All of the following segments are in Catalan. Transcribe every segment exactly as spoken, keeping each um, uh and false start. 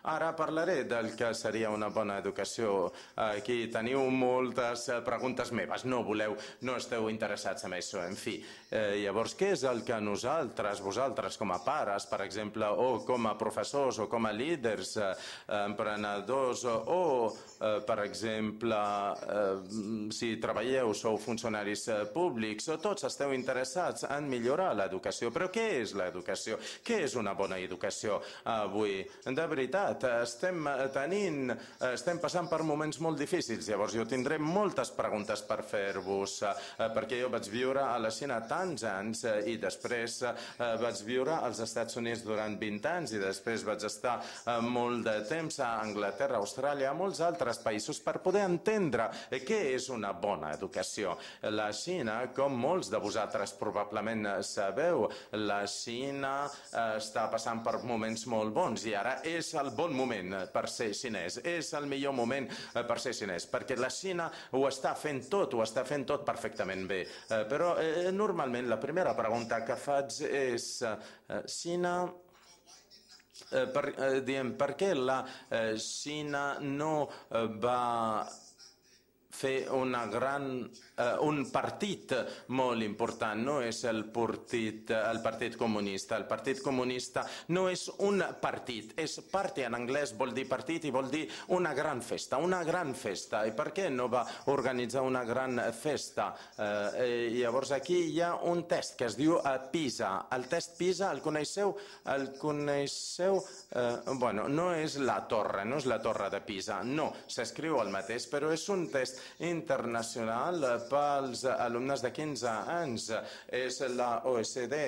Ara parlaré del que seria una bona educació. Aquí teniu moltes preguntes meves. No voleu, no esteu interessats en això. En fi, eh, llavors, què és el que nosaltres, vosaltres com a pares, per exemple, o com a professors, o com a líders, eh, emprenedors, o, eh, per exemple, eh, si treballeu, sou funcionaris eh, públics, o tots esteu interessats en millorar l'educació. Però què és l'educació? Què és una bona educació avui? De veritat, estem tenint, estem passant per moments molt difícils. Llavors jo tindré moltes preguntes per fer-vos, perquè jo vaig viure a la Xina tants anys i després vaig viure als Estats Units durant vint anys i després vaig estar molt de temps a Anglaterra, Austràlia, a molts altres països per poder entendre què és una bona educació. La Xina, com molts de vosaltres probablement sabeu, la Xina està passant per moments molt bons i ara és el bon moment per ser xinès, és el millor moment per ser xinès, perquè la Xina ho està fent tot, ho està fent tot perfectament bé. Però eh, normalment la primera pregunta que faig és eh, Xina... Eh, per, eh, diem, per què la eh, Xina no eh, va fer una gran, eh, un partit molt important, no és el partit, el partit comunista. El partit comunista no és un partit, és party en anglès, vol dir partit i vol dir una gran festa, una gran festa. I per què no va organitzar una gran festa? Eh, llavors aquí hi ha un test que es diu eh, PISA. El test PISA, el coneixeu? El coneixeu? Eh, bueno, no és la torre, no és la torre de Pisa, no, s'escriu el mateix, però és un test internacional pels alumnes de quinze anys. És la O E C D,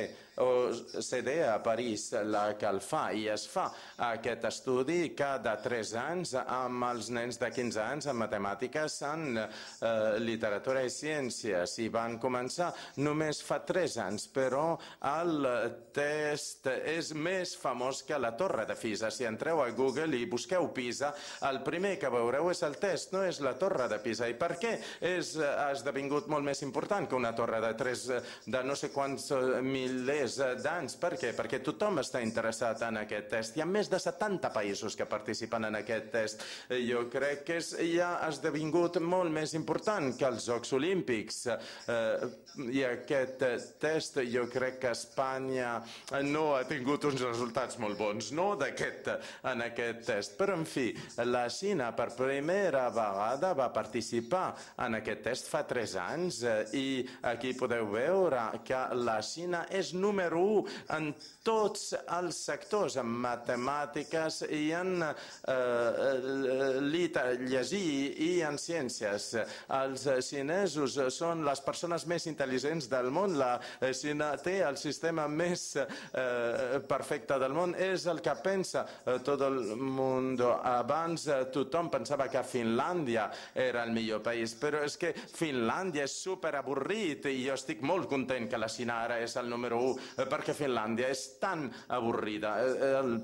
O E C D a París la que el fa i es fa aquest estudi cada tres anys amb els nens de quinze anys en matemàtiques, en eh, literatura i ciències i van començar només fa tres anys, però el test és més famós que la torre de Pisa. Si entreu a Google i busqueu Pisa, el primer que veureu és el test, no és la torre de Pisa. I per què és, ha esdevingut molt més important que una torre de tres, de no sé quants milers d'anys? Per què? Perquè tothom està interessat en aquest test. Hi ha més de setanta països que participen en aquest test. Jo crec que és, ja ha esdevingut molt més important que els Jocs Olímpics. Eh, I aquest test, jo crec que Espanya no ha tingut uns resultats molt bons, no d'aquest, en aquest test. Però, en fi, la Xina per primera vegada va participar en aquest test fa tres anys i aquí podeu veure que la Xina és número u en tots els sectors, en matemàtiques i en eh, llegir i en ciències. Els xinesos són les persones més intel·ligents del món. La Xina té el sistema més eh, perfecte del món. És el que pensa eh, tot el món. Abans eh, tothom pensava que Finlàndia era el millor país, però és que Finlàndia és superavorrit i jo estic molt content que la Xina ara és el número u, eh, perquè Finlàndia és tan avorrida. Eh, el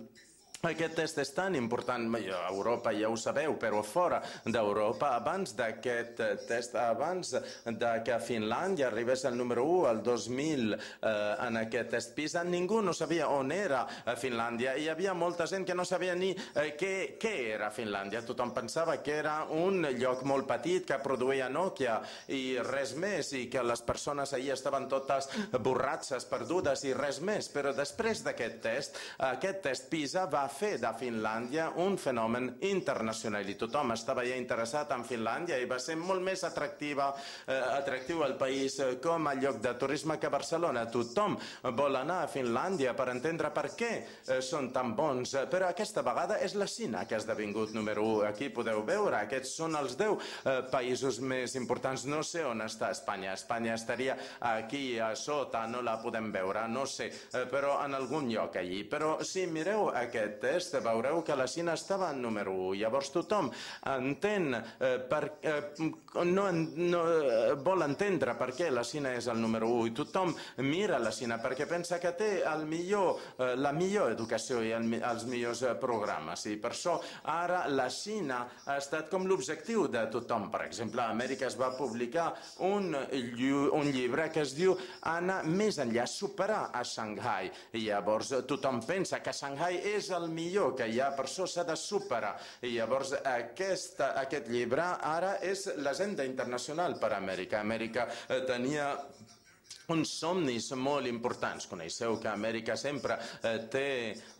Aquest test és tan important, a Europa ja ho sabeu, però fora d'Europa, abans d'aquest test, abans de que Finlàndia arribés al número u, el dos mil, eh, en aquest test PISA, ningú no sabia on era Finlàndia. Hi havia molta gent que no sabia ni eh, què, què era Finlàndia. Tothom pensava que era un lloc molt petit que produïa Nokia i res més, i que les persones ahir estaven totes borratxes, perdudes i res més. Però després d'aquest test, aquest test PISA va fer de Finlàndia un fenomen internacional i tothom estava ja interessat en Finlàndia i va ser molt més atractiva, eh, atractiu al país eh, com a lloc de turisme que Barcelona. Tothom vol anar a Finlàndia per entendre per què eh, són tan bons, però aquesta vegada és la Xina que ha esdevingut número u. Aquí podeu veure, aquests són els deu eh, països més importants. No sé on està Espanya. Espanya estaria aquí a sota, no la podem veure, no sé, eh, però en algun lloc allí. Però si mireu aquest test, veureu que la Xina estava en número u. Llavors tothom entén eh, per, eh, no, no, vol entendre per què la Xina és el número u i tothom mira la Xina perquè pensa que té el millor, eh, la millor educació i el, els millors eh, programes. I per això ara la Xina ha estat com l'objectiu de tothom. Per exemple, a Amèrica es va publicar un, un llibre que es diu Anar més enllà, superar a Xangai. I llavors tothom pensa que Xangai és el millor que hi ha, per això s'ha de superar. I llavors aquest, aquest llibre ara és l'agenda internacional per a Amèrica. Amèrica eh, tenia uns somnis molt importants. Coneixeu que Amèrica sempre eh, té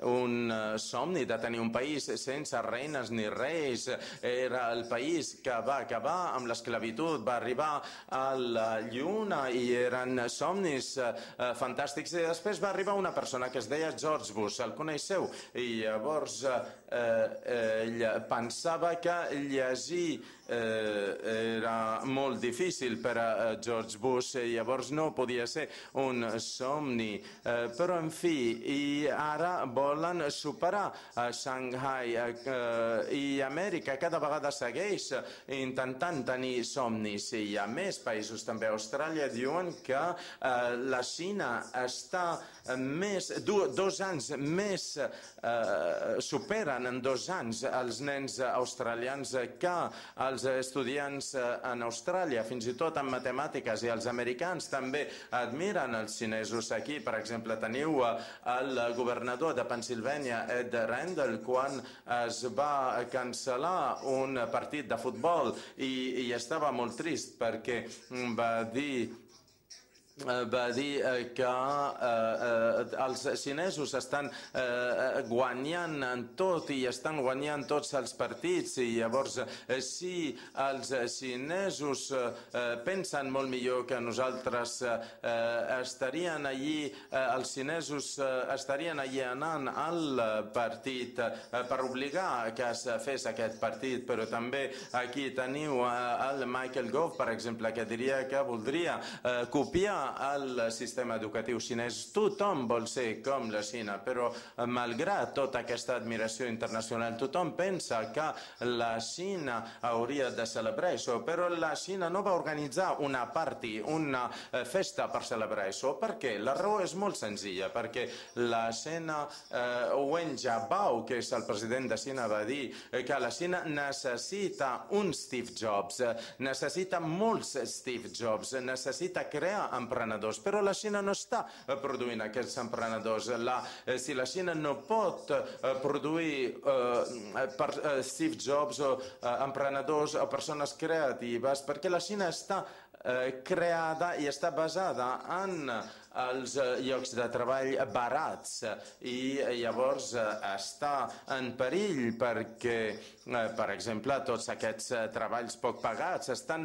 un eh, somni de tenir un país sense reines ni reis. Era el país que va acabar amb l'esclavitud, va arribar a la lluna i eren somnis eh, fantàstics. I després va arribar una persona que es deia George Bush, el coneixeu? I llavors eh, ell pensava que llegir eh, era molt difícil per a George Bush, i llavors no podia ser un somni, eh, però en fi, i ara volen superar a Shanghai eh, i Amèrica cada vegada segueix intentant tenir somnis, i hi ha més països també. A Austràlia diuen que eh, la Xina està més, do, dos anys més, eh, superen en dos anys els nens australians que els estudiants en Austràlia, fins i tot en matemàtiques, i els americans també admiren els xinesos. Aquí, per exemple, teniu el governador de Pennsilvània, Ed Rendell, quan es va cancel·lar un partit de futbol i, i estava molt trist perquè va dir va dir que eh, els xinesos estan eh, guanyant en tot i estan guanyant tots els partits, i llavors eh, si els xinesos eh, pensen molt millor que nosaltres, eh, estarien allí, eh, els xinesos eh, estarien allí anant al partit eh, per obligar que es fes aquest partit. Però també aquí teniu eh, el Michael Gove, per exemple, que diria que voldria eh, copiar el sistema educatiu xinès. Tothom vol ser com la Xina, però malgrat tota aquesta admiració internacional, tothom pensa que la Xina hauria de celebrar això, però la Xina no va organitzar una party, una festa per celebrar això. Per què? La raó és molt senzilla, perquè la Xina, eh, Wen Jiabao, que és el president de Xina, va dir que la Xina necessita un Steve Jobs, necessita molts Steve Jobs, necessita crear emprenedors, però la Xina no està produint aquests emprenedors. La, eh, si la Xina no pot eh, produir eh, per, eh, Steve Jobs o eh, emprenedors o persones creatives, perquè la Xina està eh, creada i està basada en els llocs de treball barats, i llavors està en perill perquè, per exemple, tots aquests treballs poc pagats estan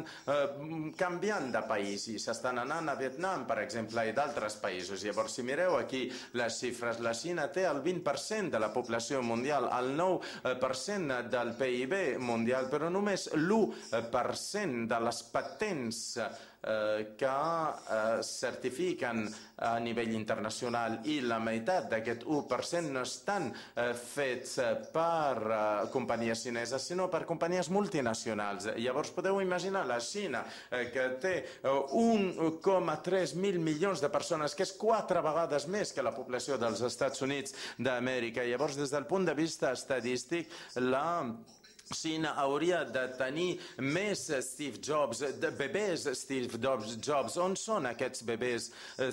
canviant de país i s'estan anant a Vietnam, per exemple, i d'altres països. Llavors, si mireu aquí les xifres, la Xina té el vint per cent de la població mundial, el nou per cent del P I B mundial, però només l'u per cent de les patents que certifiquen a nivell internacional, i la meitat d'aquest u per cent no estan fets per companyies xineses, sinó per companyies multinacionals. Llavors podeu imaginar la Xina, que té un coma tres mil milions de persones, que és quatre vegades més que la població dels Estats Units d'Amèrica. Llavors, des del punt de vista estadístic, la Xina hauria de tenir més Steve Jobs, de bebès Steve Jobs. On són aquests bebès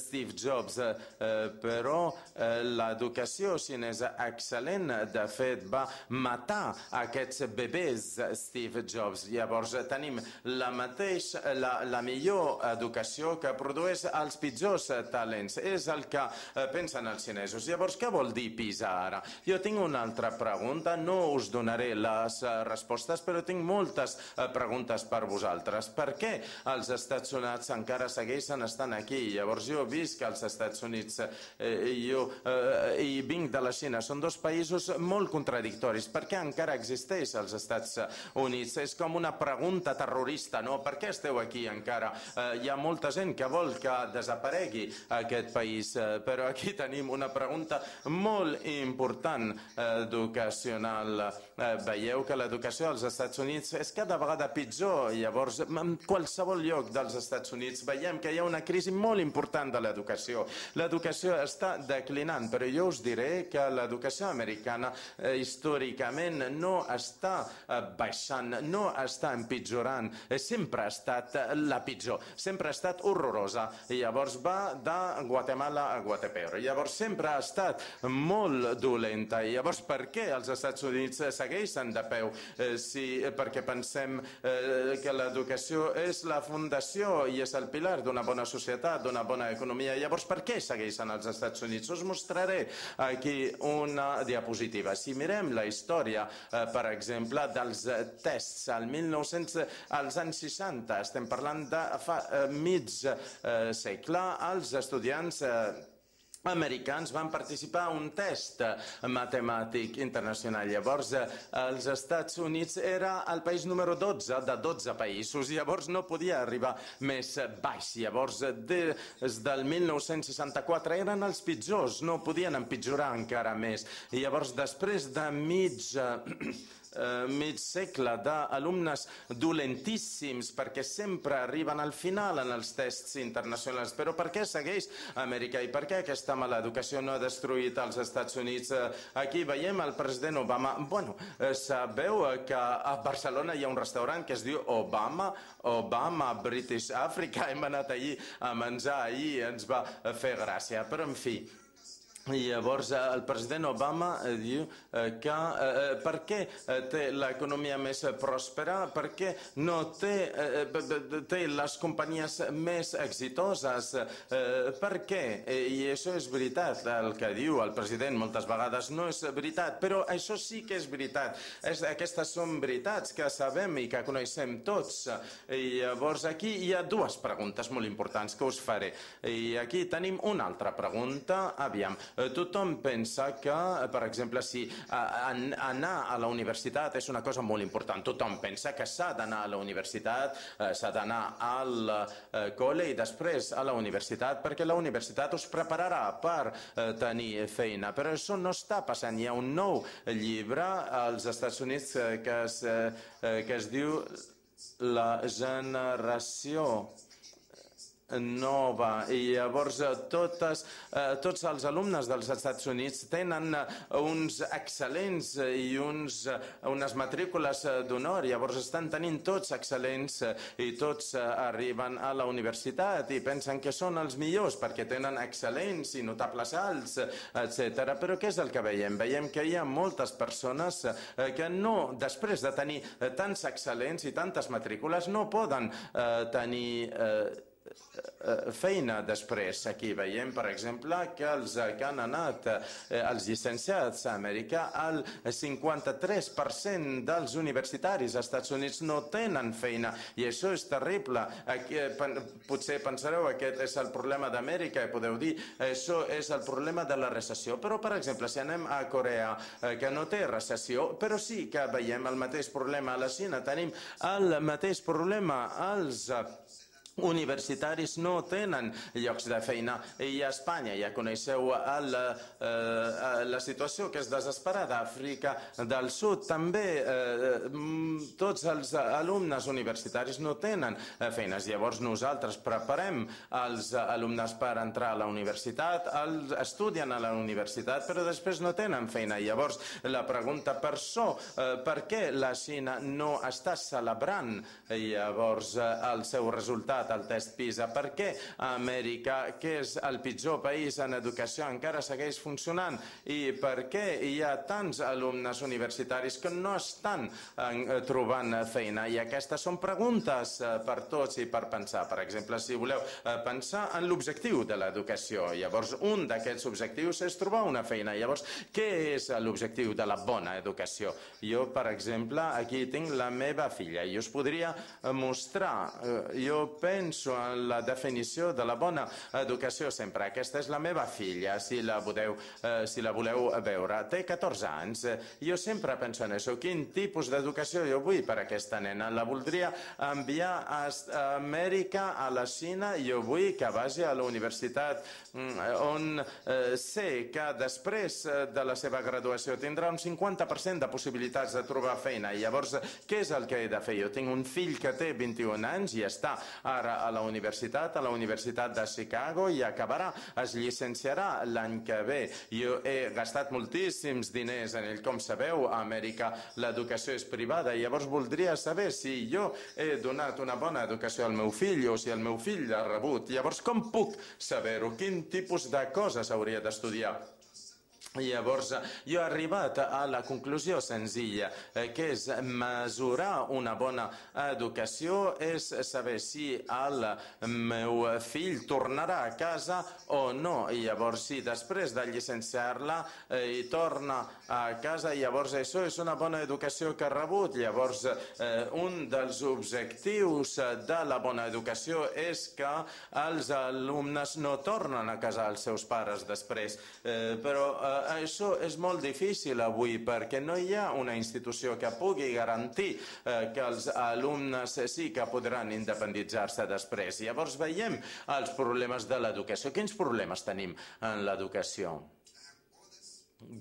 Steve Jobs? Eh, però eh, l'educació xinesa excel·lent, de fet, va matar aquests bebès Steve Jobs. Llavors tenim la, mateix, la, la millor educació que produeix els pitjors talents. És el que eh, pensen els xinesos. Llavors, què vol dir PISA ara? Jo tinc una altra pregunta, no us donaré les respostes, però tinc moltes eh, preguntes per vosaltres. Per què els Estats Units encara segueixen estant aquí? Llavors jo visc als Estats Units eh, jo eh, i vinc de la Xina. Són dos països molt contradictoris. Per què encara existeix als Estats Units? És com una pregunta terrorista, no? Per què esteu aquí encara? Eh, hi ha molta gent que vol que desaparegui aquest país, eh, però aquí tenim una pregunta molt important eh, educacional. Eh, veieu que la l'educació als Estats Units és cada vegada pitjor. Llavors, en qualsevol lloc dels Estats Units veiem que hi ha una crisi molt important de l'educació. L'educació està declinant, però jo us diré que l'educació americana eh, històricament no està eh, baixant, no està empitjorant, eh, sempre ha estat eh, la pitjor, sempre ha estat horrorosa. I llavors va de Guatemala a Guatepeor. Llavors sempre ha estat molt dolenta. I llavors per què els Estats Units segueixen de peu? Eh, si, perquè pensem eh, que l'educació és la fundació i és el pilar d'una bona societat, d'una bona economia. Llavors per què segueixen els Estats Units? Us mostraré aquí una diapositiva. Si mirem la història, eh, per exemple, dels tests al mil nou-cents, als anys seixanta, estem parlant de fa eh, mig eh, segle, els estudiants eh, americans van participar a un test matemàtic internacional. Llavors, els Estats Units era el país número dotze de dotze països. Llavors, no podia arribar més baix. Llavors, des del mil nou-cents seixanta-quatre eren els pitjors, no podien empitjorar encara més. I llavors, després de mig... Uh, mig segle d'alumnes dolentíssims perquè sempre arriben al final en els tests internacionals. Però per què segueix Amèrica i per què aquesta mala educació no ha destruït els Estats Units? Uh, aquí veiem el president Obama. Bueno, uh, sabeu que a Barcelona hi ha un restaurant que es diu Obama, Obama British Africa. Hem anat allí a menjar ahir, ens va fer gràcia. Però, en fi, i llavors el president Obama diu que eh, per què té l'economia més pròspera, per què no té, eh, té les companyies més exitoses, eh, per què? I això és veritat, el que diu el president moltes vegades no és veritat, però això sí que és veritat. És, aquestes són veritats que sabem i que coneixem tots. I llavors aquí hi ha dues preguntes molt importants que us faré. I aquí tenim una altra pregunta. Aviam. Tothom pensa que, per exemple, si anar a la universitat és una cosa molt important. Tothom pensa que s'ha d'anar a la universitat, s'ha d'anar al col·le i després a la universitat, perquè la universitat us prepararà per tenir feina. Però això no està passant. Hi ha un nou llibre als Estats Units que es, que es diu La generació nova, i llavors totes, eh, tots els alumnes dels Estats Units tenen uns excel·lents i uns, unes matrícules d'honor. Llavors estan tenint tots excel·lents i tots arriben a la universitat i pensen que són els millors perquè tenen excel·lents i notables alts, etcètera. Però què és el que veiem? Veiem que hi ha moltes persones que no, després de tenir tants excel·lents i tantes matrícules, no poden eh, tenir eh, feina després. Aquí veiem, per exemple, que els que han anat, eh, els llicenciats a Amèrica, el cinquanta-tres per cent dels universitaris als Estats Units no tenen feina, i això és terrible. Aquí, potser pensareu que aquest és el problema d'Amèrica, i podeu dir això és el problema de la recessió. Però, per exemple, si anem a Corea, eh, que no té recessió, però sí que veiem el mateix problema a la Xina, tenim el mateix problema als universitaris no tenen llocs de feina, i a Espanya ja coneixeu el, eh, la situació que és desesperada. A Àfrica del Sud també eh, tots els alumnes universitaris no tenen feines. Llavors nosaltres preparem els alumnes per entrar a la universitat, els estudien a la universitat, però després no tenen feina. Llavors la pregunta per això, eh, per què la Xina no està celebrant llavors el seu resultat al test PISA? Per què Amèrica, que és el pitjor país en educació, encara segueix funcionant? I per què hi ha tants alumnes universitaris que no estan trobant feina? I aquestes són preguntes per tots i per pensar. Per exemple, si voleu pensar en l'objectiu de l'educació, llavors un d'aquests objectius és trobar una feina. Llavors, què és l'objectiu de la bona educació? Jo, per exemple, aquí tinc la meva filla i us podria mostrar. Jo penso penso en la definició de la bona educació sempre. Aquesta és la meva filla, si la voleu, eh, si la voleu veure. Té catorze anys. Jo sempre penso en això. Quin tipus d'educació jo vull per a aquesta nena? La voldria enviar a Amèrica, a la Xina. Jo vull que vagi a la universitat on eh, sé que després de la seva graduació tindrà un cinquanta per cent de possibilitats de trobar feina. I llavors, què és el que he de fer? Jo tinc un fill que té vint-i-un anys i està ara a la universitat, a la Universitat de Chicago, i acabarà, es llicenciarà l'any que ve. Jo he gastat moltíssims diners en ell. Com sabeu, a Amèrica l'educació és privada. Llavors voldria saber si jo he donat una bona educació al meu fill o si el meu fill l'ha rebut. Llavors, com puc saber-ho? Quin tipus de coses hauria d'estudiar? Llavors, jo he arribat a la conclusió senzilla, que és mesurar una bona educació, és saber si el meu fill tornarà a casa o no. I llavors, si després de llicenciar-la i torna a casa, llavors això és una bona educació que ha rebut. Llavors, un dels objectius de la bona educació és que els alumnes no tornen a casa als seus pares després. Però això és molt difícil avui perquè no hi ha una institució que pugui garantir eh, que els alumnes sí que podran independitzar-se després. Llavors veiem els problemes de l'educació. Quins problemes tenim en l'educació?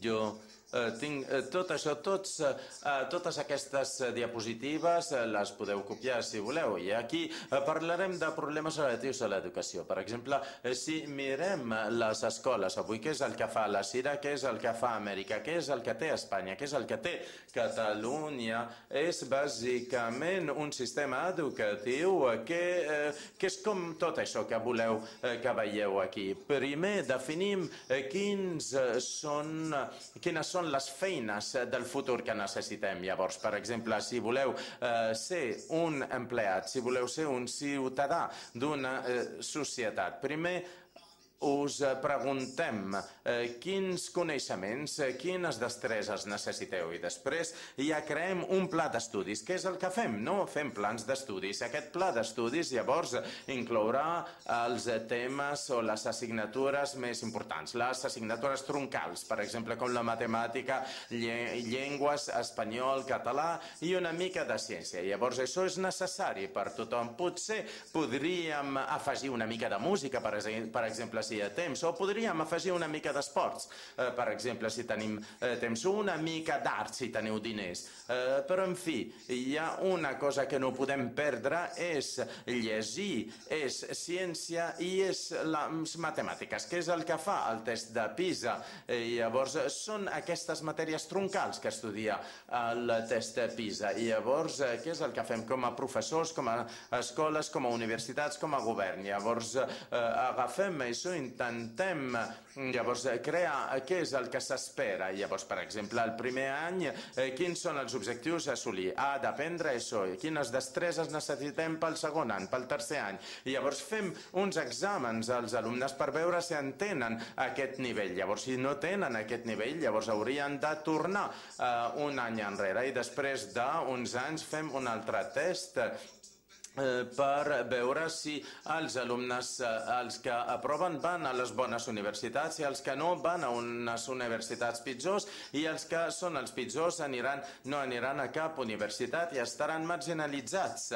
Jo Eh, tinc eh, tot això, tots, eh, totes aquestes diapositives eh, les podeu copiar si voleu, i aquí eh, parlarem de problemes relatius a l'educació. Per exemple, eh, si mirem les escoles avui, què és el que fa la Cira, què és el que fa Amèrica, què és el que té Espanya, què és el que té Catalunya, és bàsicament un sistema educatiu que, eh, que és com tot això que voleu eh, que veieu aquí. Primer definim eh, quins són, quines són les feines del futur que necessitem. Llavors, per exemple, si voleu eh, ser un empleat, si voleu ser un ciutadà d'una eh, societat, primer us preguntem eh, quins coneixements, eh, quines destreses necessiteu, i després ja creem un pla d'estudis. Què és el que fem? No fem plans d'estudis. Aquest pla d'estudis llavors inclourà els temes o les assignatures més importants, les assignatures troncals, per exemple, com la matemàtica, llengües, espanyol, català i una mica de ciència. Llavors, això és necessari per tothom. Potser podríem afegir una mica de música, per exemple, si hi ha temps, o podríem afegir una mica d'esports, eh, per exemple, si tenim eh, temps, o una mica d'art, si teniu diners. Eh, però, en fi, hi ha una cosa que no podem perdre, és llegir, és ciència i és les matemàtiques, que és el que fa el test de PISA. Eh, llavors, són aquestes matèries troncals que estudia el test de PISA. I llavors, eh, què és el que fem com a professors, com a escoles, com a universitats, com a govern? Llavors, eh, agafem això, intentem llavors crear què és el que s'espera. Llavors, per exemple, el primer any, eh, quins són els objectius a assolir? Ha d'aprendre això. Quines destreses necessitem pel segon any, pel tercer any? I llavors fem uns exàmens als alumnes per veure si entenen aquest nivell. Llavors, si no tenen aquest nivell, llavors haurien de tornar eh, un any enrere, i després d'uns anys fem un altre test per veure si els alumnes, els que aproven, van a les bones universitats, i els que no van a unes universitats pitjors, i els que són els pitjors aniran, no aniran a cap universitat i estaran marginalitzats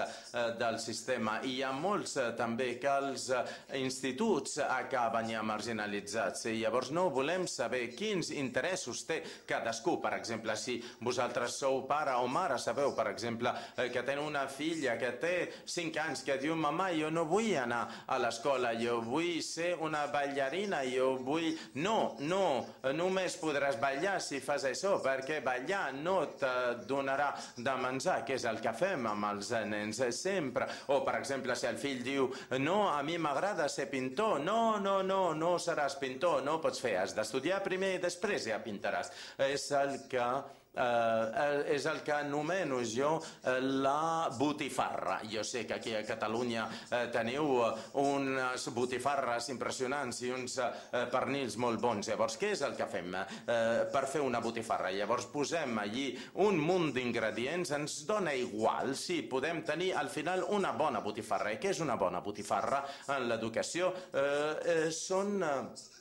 del sistema. I hi ha molts també que els instituts acaben ja marginalitzats, i llavors no volem saber quins interessos té cadascú. Per exemple, si vosaltres sou pare o mare, sabeu, per exemple, que teniu una filla que té cinc anys, que diu: mamà, jo no vull anar a l'escola, jo vull ser una ballarina, jo vull... No, no, només podràs ballar si fas això, perquè ballar no te donarà de menjar, que és el que fem amb els nens sempre. O, per exemple, si el fill diu: no, a mi m'agrada ser pintor, no, no, no, no seràs pintor, no pots fer, has d'estudiar primer i després ja pintaràs. És el que eh, és el que anomeno jo la botifarra. Jo sé que aquí a Catalunya eh, teniu unes botifarres impressionants i uns eh, pernils molt bons. Llavors, què és el que fem eh, per fer una botifarra? Llavors posem allí un munt d'ingredients, ens dona igual si podem tenir al final una bona botifarra. I què és una bona botifarra en l'educació? Eh, eh, són... Eh,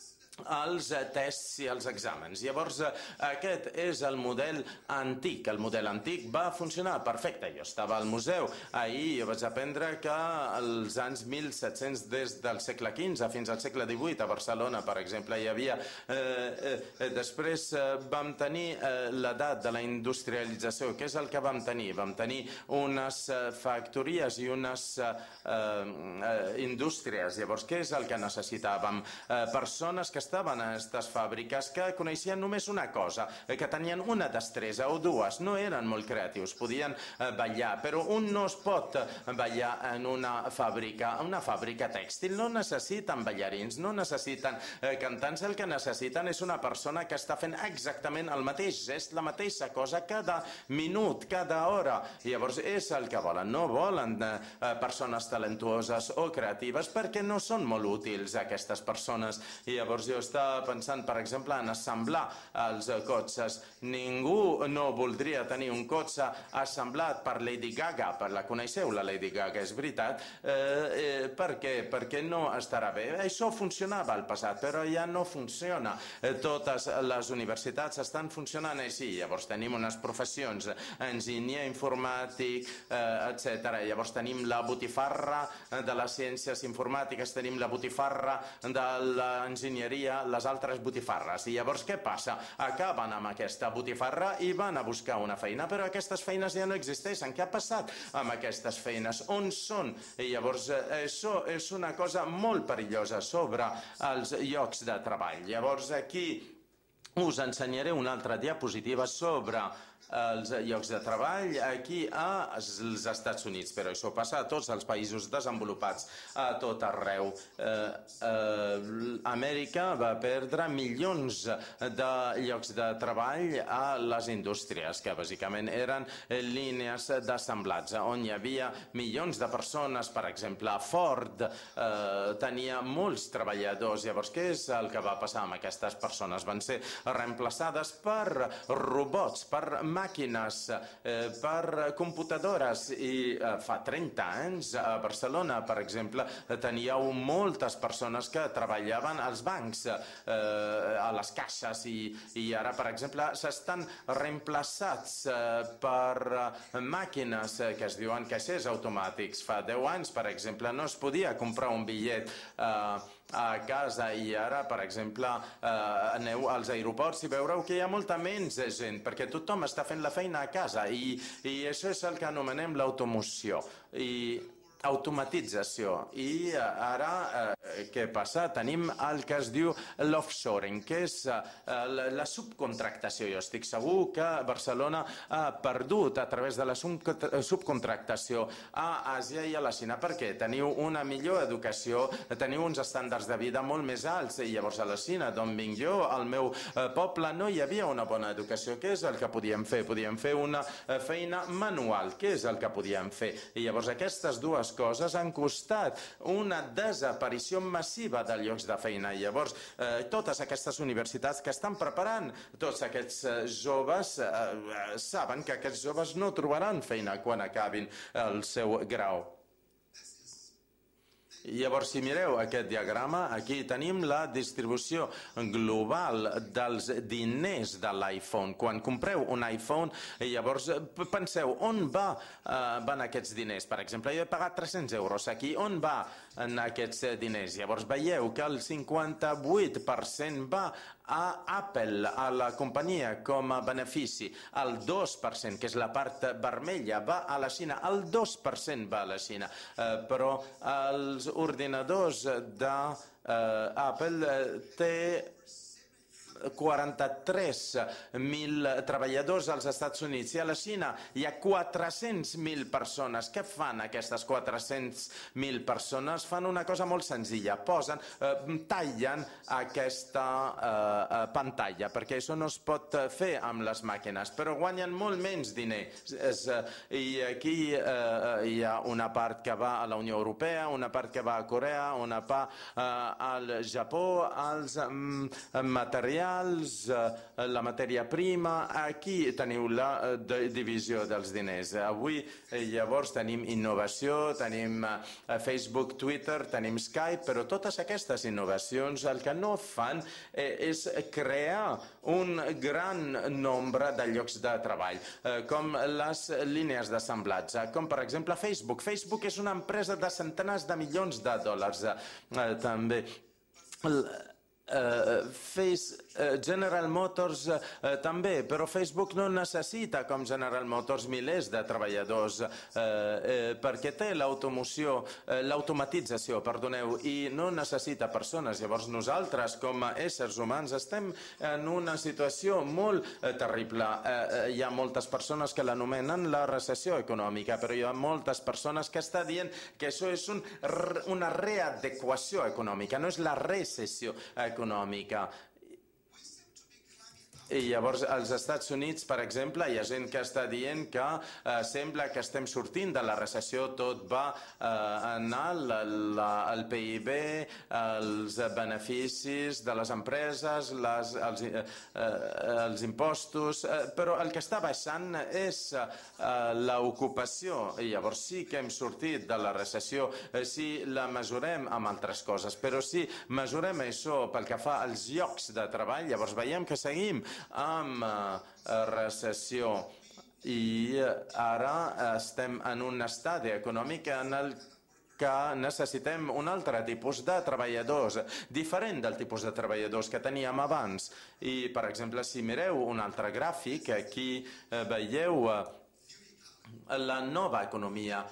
els tests i els exàmens. Llavors, aquest és el model antic. El model antic va funcionar perfecte. Jo estava al museu ahir i vaig aprendre que als anys mil set-cents, des del segle quinze fins al segle divuit, a Barcelona, per exemple, hi havia... Eh, eh, després eh, vam tenir eh, l'edat de la industrialització. Què és el que vam tenir? Vam tenir unes eh, factories i unes eh, eh, indústries. Llavors, què és el que necessitàvem? Eh, persones que estaven a aquestes fàbriques que coneixien només una cosa, que tenien una destresa o dues, no eren molt creatius, podien ballar, però un no es pot ballar en una fàbrica, una fàbrica tèxtil, no necessiten ballarins, no necessiten cantants, el que necessiten és una persona que està fent exactament el mateix gest, la mateixa cosa cada minut, cada hora. Llavors és el que volen, no volen persones talentuoses o creatives perquè no són molt útils aquestes persones. I llavors jo estava pensant, per exemple, en assemblar els cotxes. Ningú no voldria tenir un cotxe assemblat per Lady Gaga, per la coneixeu, la Lady Gaga, és veritat. Eh, eh, per què? Perquè no estarà bé. Això funcionava al passat, però ja no funciona. Eh, totes les universitats estan funcionant així. Llavors tenim unes professions, enginyer informàtic, eh, etcètera. Llavors tenim la botifarra de les ciències informàtiques, tenim la botifarra de l'enginyeria, les altres botifarres. I llavors què passa? Acaben amb aquesta botifarra i van a buscar una feina, però aquestes feines ja no existeixen. Què ha passat amb aquestes feines? On són? I llavors això és una cosa molt perillosa sobre els llocs de treball. Llavors aquí us ensenyaré una altra diapositiva sobre els llocs de treball aquí als Estats Units, però això passa a tots els països desenvolupats, a tot arreu. Eh, eh, Amèrica va perdre milions de llocs de treball a les indústries, que bàsicament eren línies d'assemblats, on hi havia milions de persones. Per exemple, Ford eh, tenia molts treballadors. Llavors, què és el que va passar amb aquestes persones? Van ser reemplaçades per robots, per màquines, eh, per computadores. I eh, fa trenta anys a Barcelona, per exemple, teníeu moltes persones que treballaven als bancs, eh, a les caixes, i, i ara, per exemple, s'estan reemplaçats eh, per màquines que es diuen caixers automàtics. Fa deu anys, per exemple, no es podia comprar un bitllet eh, a casa, i ara, per exemple, eh, aneu als aeroports i veureu que hi ha molta menys gent, perquè tothom està fent la feina a casa, i, i això és el que anomenem l'automoció i automatització. I ara, eh, què passa? Tenim el que es diu l'offshoring, que és eh, la, la subcontractació. Jo estic segur que Barcelona ha perdut a través de la subcontractació a Àsia i a la Xina, perquè teniu una millor educació, teniu uns estàndards de vida molt més alts, i llavors a la Xina, d'on vinc jo, al meu eh, poble, no hi havia una bona educació. Què és el que podíem fer? Podíem fer una eh, feina manual. Què és el que podíem fer? I llavors aquestes dues coses han costat una desaparició massiva de llocs de feina. I llavors, eh, totes aquestes universitats que estan preparant tots aquests eh, joves eh, eh, saben que aquests joves no trobaran feina quan acabin el seu grau. Llavors, si mireu aquest diagrama, aquí tenim la distribució global dels diners de l'iPhone. Quan compreu un iPhone, llavors penseu, on va, eh, van aquests diners? Per exemple, jo he pagat tres-cents euros aquí, on va en aquests diners? Llavors veieu que el cinquanta-vuit per cent va a Apple, a la companyia, com a benefici. El dos per cent, que és la part vermella, va a la Xina. El dos per cent va a la Xina. Eh, però els ordinadors d'Apple eh, té quaranta-tres mil treballadors als Estats Units i a la Xina hi ha quatre-cents mil persones. Què fan aquestes quatre-cents mil persones? Fan una cosa molt senzilla, posen, eh, tallen aquesta eh, pantalla, perquè això no es pot fer amb les màquines, però guanyen molt menys diners. I aquí eh, hi ha una part que va a la Unió Europea, una part que va a Corea, una part eh, al Japó, als mm, materials, eh, la matèria prima. Aquí teniu la eh, divisió dels diners. Avui eh, llavors tenim innovació, tenim eh, Facebook, Twitter, tenim Skype, però totes aquestes innovacions el que no fan eh, és crear un gran nombre de llocs de treball, eh, com les línies d'assemblatge, com per exemple Facebook. Facebook és una empresa de centenars de milions de dòlars. Eh, també Uh, Face, uh, General Motors uh, també, però Facebook no necessita com General Motors milers de treballadors uh, uh, perquè té l'automoció, uh, l'automatització, perdoneu, i no necessita persones. Llavors nosaltres com a éssers humans estem en una situació molt uh, terrible. Uh, uh, hi ha moltes persones que l'anomenen la recessió econòmica, però hi ha moltes persones que estan dient que això és un, una readequació econòmica, no és la recessió econòmica. econòmica. I llavors als Estats Units, per exemple, hi ha gent que està dient que eh, sembla que estem sortint de la recessió, tot va eh, anar la, la, el P I B, els beneficis de les empreses, les, els, eh, els impostos, eh, però el que està baixant és eh, l'ocupació. I llavors sí que hem sortit de la recessió eh, si la mesurem amb altres coses, però si mesurem això pel que fa als llocs de treball, llavors veiem que seguim amb uh, recessió i ara estem en un estadi econòmic en el que necessitem un altre tipus de treballadors, diferent del tipus de treballadors que teníem abans. I, per exemple, si mireu un altre gràfic, aquí uh, veieu uh, la nova economia.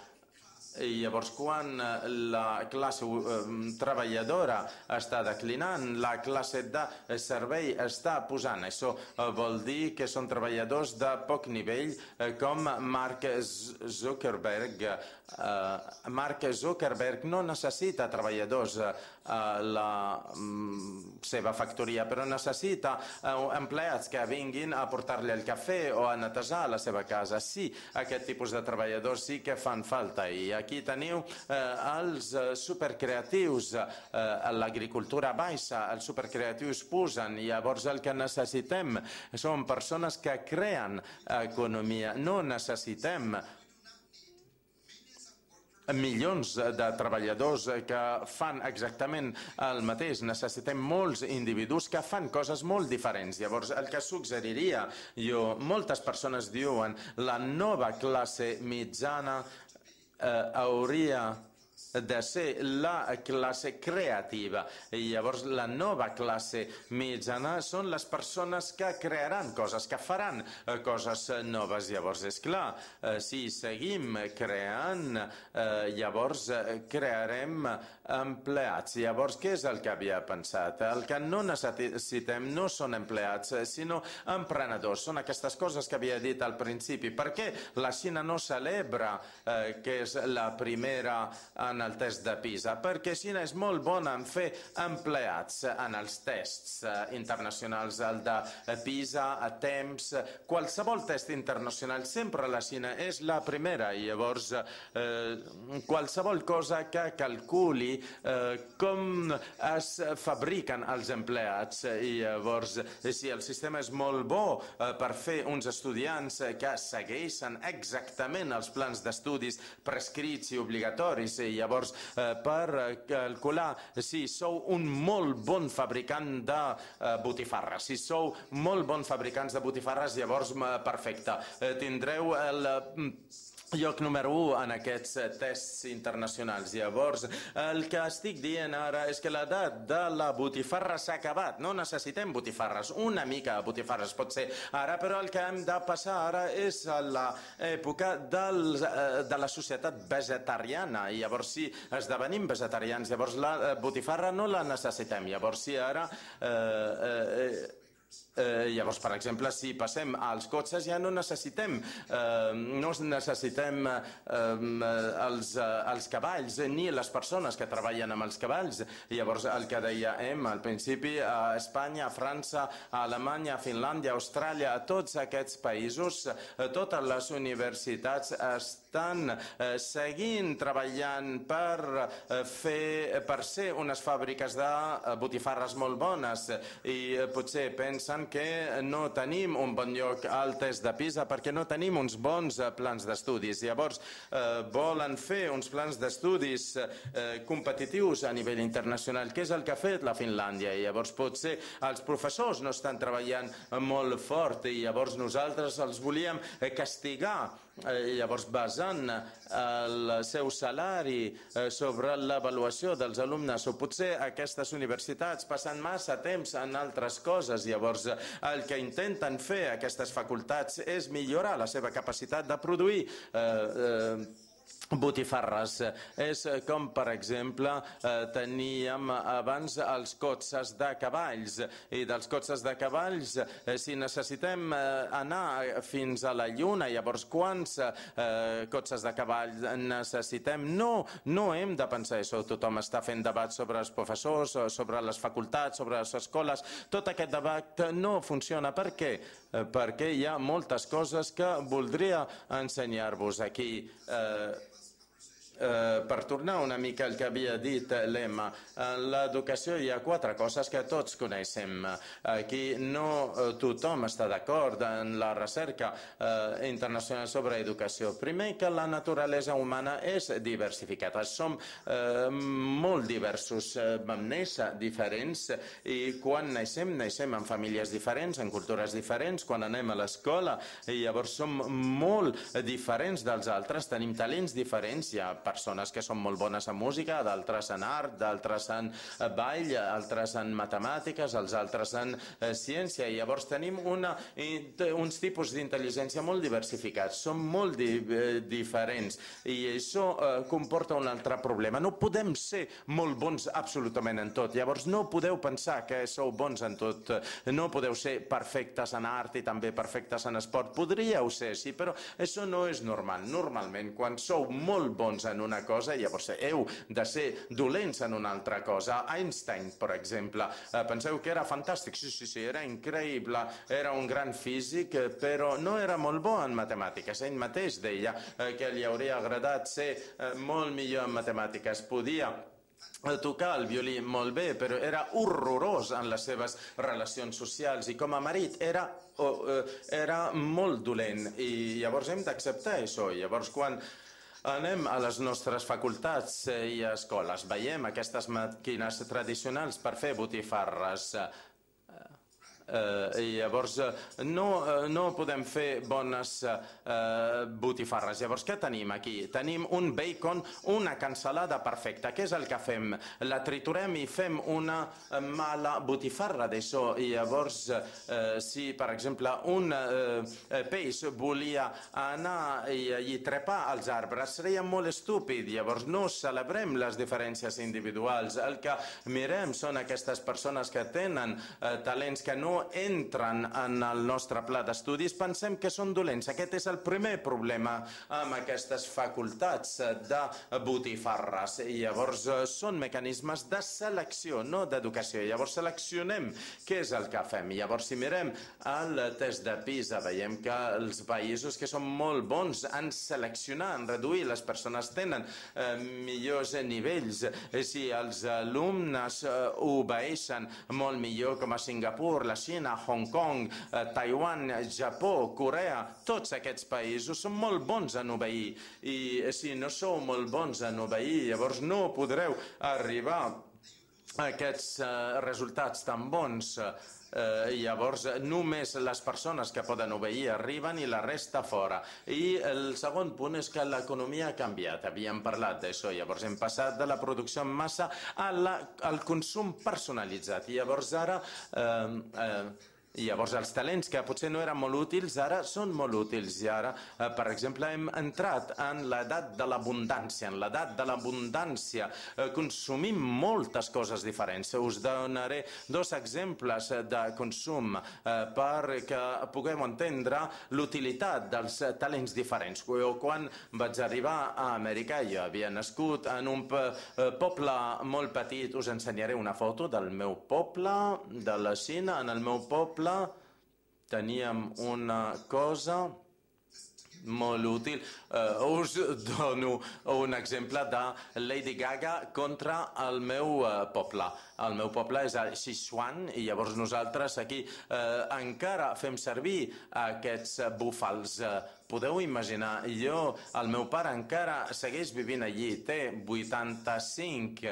I llavors, quan la classe eh, treballadora està declinant, la classe de servei està pujant. Això eh, vol dir que són treballadors de poc nivell, eh, com Mark Zuckerberg. Eh, Mark Zuckerberg no necessita treballadors eh, a la mm, seva factoria, però necessita eh, empleats que vinguin a portar-li el cafè o a netejar la seva casa. Sí, aquest tipus de treballadors sí que fan falta. I aquí teniu eh, els supercreatius, eh, l'agricultura baixa, els supercreatius pugen, i llavors el que necessitem són persones que creen economia. No necessitem milions de treballadors que fan exactament el mateix. Necessitem molts individus que fan coses molt diferents. Llavors, el que suggeriria jo, moltes persones diuen la nova classe mitjana eh, hauria de ser la classe creativa. I llavors la nova classe mitjana són les persones que crearan coses, que faran coses noves. Llavors, és clar, si seguim creant, llavors crearem empleats. Llavors, què és el que havia pensat? El que no necessitem no són empleats, sinó emprenedors. Són aquestes coses que havia dit al principi. Per què la Xina no celebra eh, que és la primera en el test de PISA? Perquè Xina és molt bona en fer empleats en els tests eh, internacionals, el de PISA, a temps, qualsevol test internacional, sempre la Xina és la primera. I llavors eh, qualsevol cosa que calculi eh, com es fabriquen els empleats, i llavors si el sistema és molt bo eh, per fer uns estudiants que segueixen exactament els plans d'estudis prescrits i obligatoris, i llavors eh, per calcular si sou un molt bon fabricant de eh, botifarres, si sou molt bon fabricants de botifarres, llavors perfecte, eh, tindreu el lloc número u en aquests tests internacionals. Llavors, el que estic dient ara és que l'edat de la botifarra s'ha acabat. No necessitem botifarres. Una mica de botifarres pot ser ara, però el que hem de passar ara és a l'època de la societat vegetariana. I llavors, si esdevenim vegetarians, llavors la botifarra no la necessitem. Llavors, si ara... Eh, eh, Eh, llavors, per exemple, si passem als cotxes ja no necessitem, eh, no necessitem eh, els, els cavalls ni les persones que treballen amb els cavalls. Llavors, el que dèiem al principi, a Espanya, a França, a Alemanya, a Finlàndia, a Austràlia, a tots aquests països, eh, totes les universitats estan eh, seguint treballant per, eh, fer, per ser unes fàbriques de botifarres molt bones i eh, potser pensen que no tenim un bon lloc al test de PISA perquè no tenim uns bons plans d'estudis. Llavors, eh, volen fer uns plans d'estudis eh, competitius a nivell internacional, que és el que ha fet la Finlàndia. I llavors, potser els professors no estan treballant molt fort i llavors nosaltres els volíem castigar. Eh, llavors, basant el seu salari eh, sobre l'avaluació dels alumnes, o potser aquestes universitats passen massa temps en altres coses. Llavors, el que intenten fer aquestes facultats és millorar la seva capacitat de produir eh, eh, botifarres. És com, per exemple, eh, teníem abans els cotxes de cavalls, i dels cotxes de cavalls, eh, si necessitem eh, anar fins a la Lluna, llavors quants eh, cotxes de cavall necessitem? No, no hem de pensar això. Tothom està fent debat sobre els professors, sobre les facultats, sobre les escoles. Tot aquest debat no funciona. Per què? Eh, perquè hi ha moltes coses que voldria ensenyar-vos aquí. Eh, Eh, per tornar una mica al que havia dit l'Emma, en l'educació hi ha quatre coses que tots coneixem. Aquí no tothom està d'acord en la recerca eh, internacional sobre educació. Primer, que la naturalesa humana és diversificada. Som eh, molt diversos, eh, vam néixer diferents i quan naixem, naixem en famílies diferents, en cultures diferents, quan anem a l'escola i llavors som molt diferents dels altres, tenim talents diferents, hi ha persones que són molt bones en música, d'altres en art, d'altres en ball, altres en matemàtiques, els altres en eh, ciència. I llavors tenim una, uns tipus d'intel·ligència molt diversificats, són molt di, eh, diferents i això eh, comporta un altre problema. No podem ser molt bons absolutament en tot. Llavors no podeu pensar que sou bons en tot, no podeu ser perfectes en art i també perfectes en esport. Podríeu ser, sí, però això no és normal. Normalment, quan sou molt bons en una cosa, llavors heu de ser dolents en una altra cosa. Einstein, per exemple, eh, penseu que era fantàstic, sí, sí, sí, era increïble, era un gran físic, però no era molt bo en matemàtiques. Ell mateix deia eh, que li hauria agradat ser eh, molt millor en matemàtiques. Podia tocar el violí molt bé, però era horrorós en les seves relacions socials i com a marit era, oh, era molt dolent i llavors hem d'acceptar això. Llavors, quan anem a les nostres facultats i escoles, veiem aquestes màquines tradicionals per fer botifarres. Eh, i llavors no, no podem fer bones eh, botifarres. Llavors què tenim aquí? Tenim un bacon, una cansalada perfecta. Què és el que fem? La triturem i fem una mala botifarra d'això. I llavors eh, si per exemple un eh, peix volia anar i, i trepar als arbres seria molt estúpid. Llavors no celebrem les diferències individuals. El que mirem són aquestes persones que tenen eh, talents que no entren en el nostre pla d'estudis, pensem que són dolents. Aquest és el primer problema amb aquestes facultats de botifarres. I llavors són mecanismes de selecció, no d'educació. Llavors seleccionem què és el que fem. I llavors si mirem el test de PISA veiem que els països que són molt bons en seleccionar, en reduir, les persones tenen eh, millors nivells. Si els alumnes eh, obeeixen molt millor, com a Singapur, la Xina, Hong Kong, eh, Taiwan, Japó, Corea, tots aquests països són molt bons en obeir. I si no sou molt bons en obeir, llavors no podreu arribar a aquests eh, resultats tan bons. Eh, llavors només les persones que poden obeir arriben i la resta fora. I el segon punt és que l'economia ha canviat, havíem parlat d'això. Llavors hem passat de la producció en massa a la, al consum personalitzat. I llavors ara eh, eh, I llavors els talents que potser no eren molt útils ara són molt útils i ara, eh, per exemple, hem entrat en l'edat de l'abundància. En l'edat de l'abundància eh, consumim moltes coses diferents. Us donaré dos exemples de consum eh, perquè puguem entendre l'utilitat dels talents diferents. Jo, quan vaig arribar a Amèrica, jo havia nascut en un poble molt petit. Us ensenyaré una foto del meu poble, de la Xina. En el meu poble teníem una cosa molt útil. Uh, us dono un exemple de Lady Gaga contra el meu uh, poble. El meu poble és a Sichuan i llavors nosaltres aquí uh, encara fem servir aquests búfals. Uh, podeu imaginar, jo, el meu pare encara segueix vivint allí, té vuitanta-cinc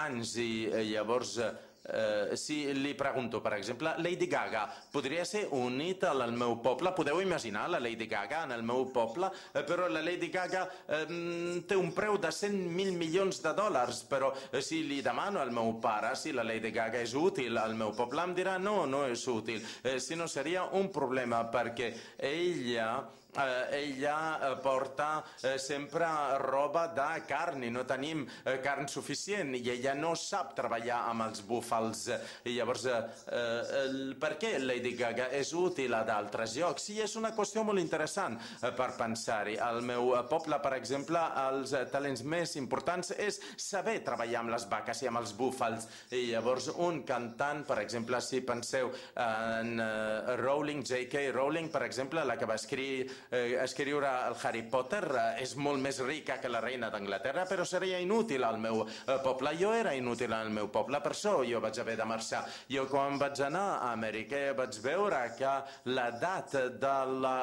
anys i uh, llavors... Uh, Uh, si li pregunto, per exemple, Lady Gaga podria ser unida al meu poble? Podeu imaginar la Lady Gaga en el meu poble? Uh, però la Lady Gaga um, té un preu de cent mil milions de dòlars, però uh, si li demano al meu pare si la Lady Gaga és útil al meu poble, em dirà no, no és útil. Uh, si no seria un problema perquè ella... Uh, ella uh, porta uh, sempre roba de carn i no tenim uh, carn suficient i ella no sap treballar amb els búfals. I llavors, uh, uh, per què Lady Gaga és útil a d'altres llocs? I és una qüestió molt interessant uh, per pensar-hi. Al meu uh, poble, per exemple, els uh, talents més importants és saber treballar amb les vaques i amb els búfals. I llavors, un cantant, per exemple, si penseu en uh, Rowling, J K Rowling, per exemple, la que va escriure Eh, escriure el Harry Potter, eh, és molt més rica que la reina d'Anglaterra, però seria inútil al meu eh, poble. Jo era inútil al meu poble, per això jo vaig haver de marxar. Jo quan vaig anar a Amèrica vaig veure que l'edat de la...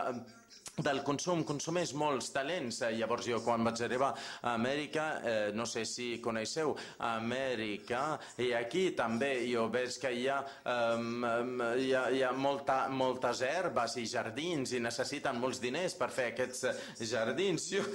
del consum, consumeix molts talents. Llavors jo quan vaig arribar a Amèrica, eh, no sé si coneixeu Amèrica, i aquí també jo veig que hi ha, um, hi ha, hi ha molta, moltes herbes i jardins i necessiten molts diners per fer aquests jardins. Jo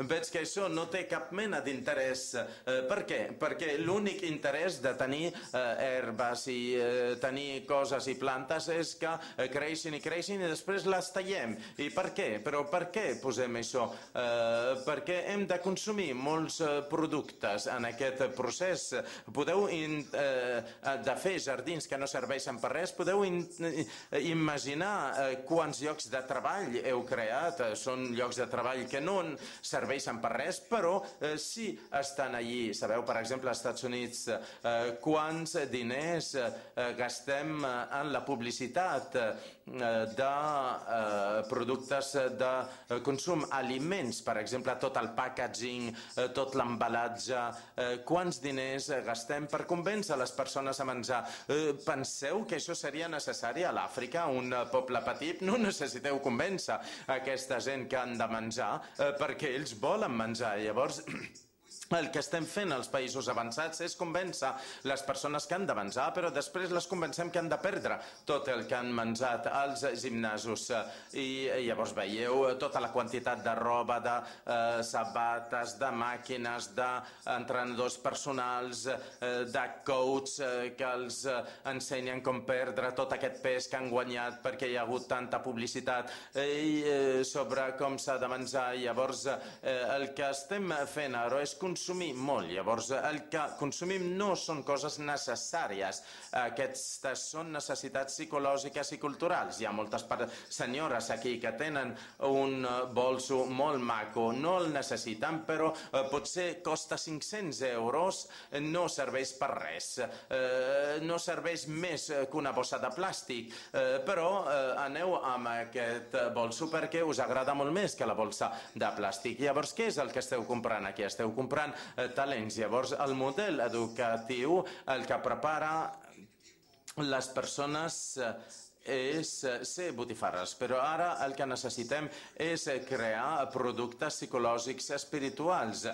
veig que això no té cap mena d'interès. Eh, per què? Perquè l'únic interès de tenir eh, herbes i eh, tenir coses i plantes és que eh, creixin i creixin i després les tallem. I per què? Però per què posem això? Eh, perquè hem de consumir molts eh, productes en aquest procés. Podeu in, eh, de fer jardins que no serveixen per res, podeu in, eh, imaginar eh, quants llocs de treball heu creat. Eh, són llocs de treball que no serveixen per res, però eh, sí estan allí. Sabeu, per exemple, als Estats Units, eh, quants diners eh, gastem en la publicitat eh, de eh, productes de consum, aliments, per exemple, tot el packaging, tot l'embalatge, quants diners gastem per convèncer les persones a menjar. Penseu que això seria necessari a l'Àfrica, un poble petit? No necessiteu convèncer aquesta gent que han de menjar perquè ells volen menjar. Llavors... el que estem fent als països avançats és convèncer les persones que han de menjar, però després les convencem que han de perdre tot el que han menjat als gimnasos. I llavors veieu tota la quantitat de roba, de eh, sabates, de màquines, d'entrenadors personals, eh, de coach eh, que els eh, ensenyen com perdre tot aquest pes que han guanyat perquè hi ha hagut tanta publicitat eh, sobre com s'ha de menjar. Llavors eh, el que estem fent ara és consumir consumir molt. Llavors, el que consumim no són coses necessàries. Aquestes són necessitats psicològiques i culturals. Hi ha moltes senyores aquí que tenen un bolso molt maco, no el necessiten, però eh, potser costa cinc-cents euros, no serveix per res. Eh, no serveix més que una bossa de plàstic, eh, però eh, aneu amb aquest bolso perquè us agrada molt més que la bolsa de plàstic. Llavors, què és el que esteu comprant aquí? Esteu comprant talents. Llavors, el model educatiu, el que prepara les persones és ser botifarres, però ara el que necessitem és crear productes psicològics espirituals.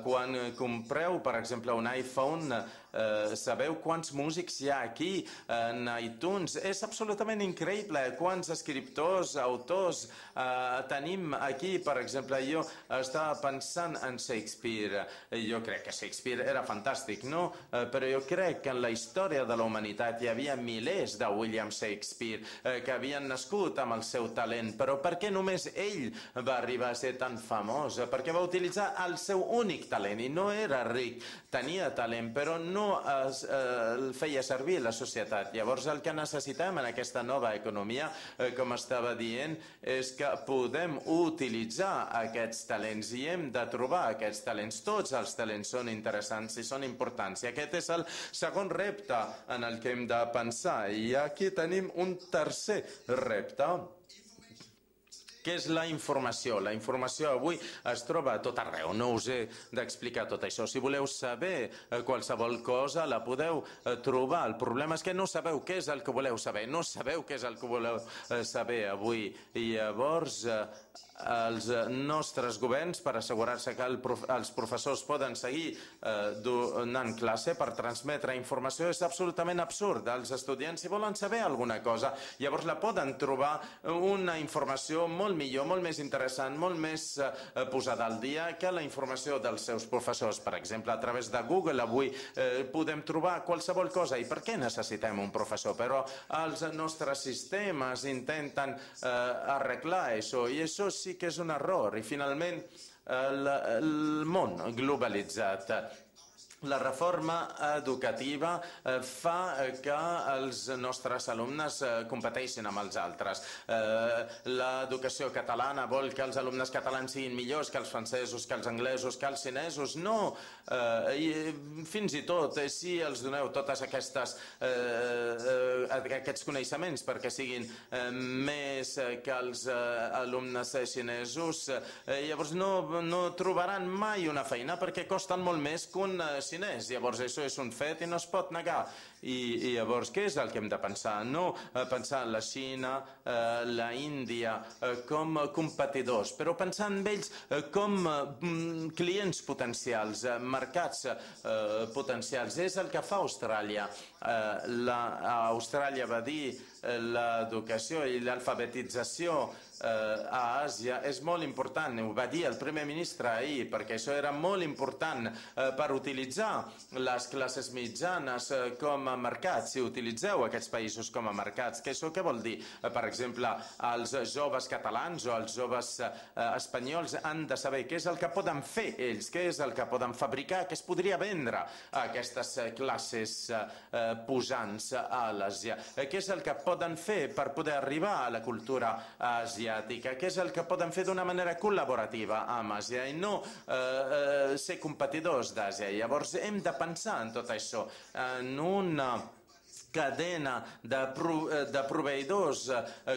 Quan compreu, per exemple, un iPhone, eh, sabeu quants músics hi ha aquí en iTunes? És absolutament increïble quants escriptors, autors eh, tenim aquí. Per exemple, jo estava pensant en Shakespeare. Jo crec que Shakespeare era fantàstic, no? Eh, però jo crec que en la història de la humanitat hi havia milers de William Shakespeare. Shakespeare, eh, que havien nascut amb el seu talent, però per què només ell va arribar a ser tan famós? Perquè va utilitzar el seu únic talent i no era ric, tenia talent, però no es, eh, el feia servir la societat. Llavors el que necessitem en aquesta nova economia, eh, com estava dient, és que podem utilitzar aquests talents i hem de trobar aquests talents. Tots els talents són interessants i són importants. I aquest és el segon repte en el que hem de pensar. I aquí tenim un tercer repte, que és la informació. La informació avui es troba a tot arreu. No us he d'explicar tot això. Si voleu saber qualsevol cosa, la podeu trobar. El problema és que no sabeu què és el que voleu saber. No sabeu què és el que voleu saber avui. I llavors els nostres governs, per assegurar-se que el prof els professors poden seguir eh, donant classe per transmetre informació, és absolutament absurd. Els estudiants, si volen saber alguna cosa, llavors la poden trobar una informació molt millor, molt més interessant, molt més eh, posada al dia que la informació dels seus professors. Per exemple, a través de Google avui eh, podem trobar qualsevol cosa. I per què necessitem un professor? Però els nostres sistemes intenten eh, arreglar això, i això sí que és un error. I finalment el, el món globalitzat, la reforma educativa fa que els nostres alumnes competeixin amb els altres. L'educació catalana vol que els alumnes catalans siguin millors que els francesos, que els anglesos, que els xinesos. No, i fins i tot si els doneu totes aquestes aquests coneixements perquè siguin més que els alumnes xinesos, llavors no, no trobaran mai una feina perquè costen molt més que un xinès. Llavors això és un fet i no es pot negar. I, i llavors què és el que hem de pensar? No pensar en la Xina, eh, la Índia eh, com competidors, però pensar en ells eh, com eh, clients potencials, eh, mercats eh, potencials. És el que fa Austràlia. Eh, la, Austràlia va dir eh, l'educació i l'alfabetització a Àsia és molt important. Ho va dir el primer ministre ahir, perquè això era molt important per utilitzar les classes mitjanes com a mercats. Si utilitzeu aquests països com a mercats, que això què vol dir? Per exemple, els joves catalans o els joves espanyols han de saber què és el que poden fer ells, què és el que poden fabricar, què es podria vendre a aquestes classes posants a l'Àsia, què és el que poden fer per poder arribar a la cultura asiàtica, que és el que poden fer d'una manera col·laborativa amb Àsia i no eh, eh, ser competidors d'Àsia. Llavors hem de pensar en tot això, en una cadena de, pro, de proveïdors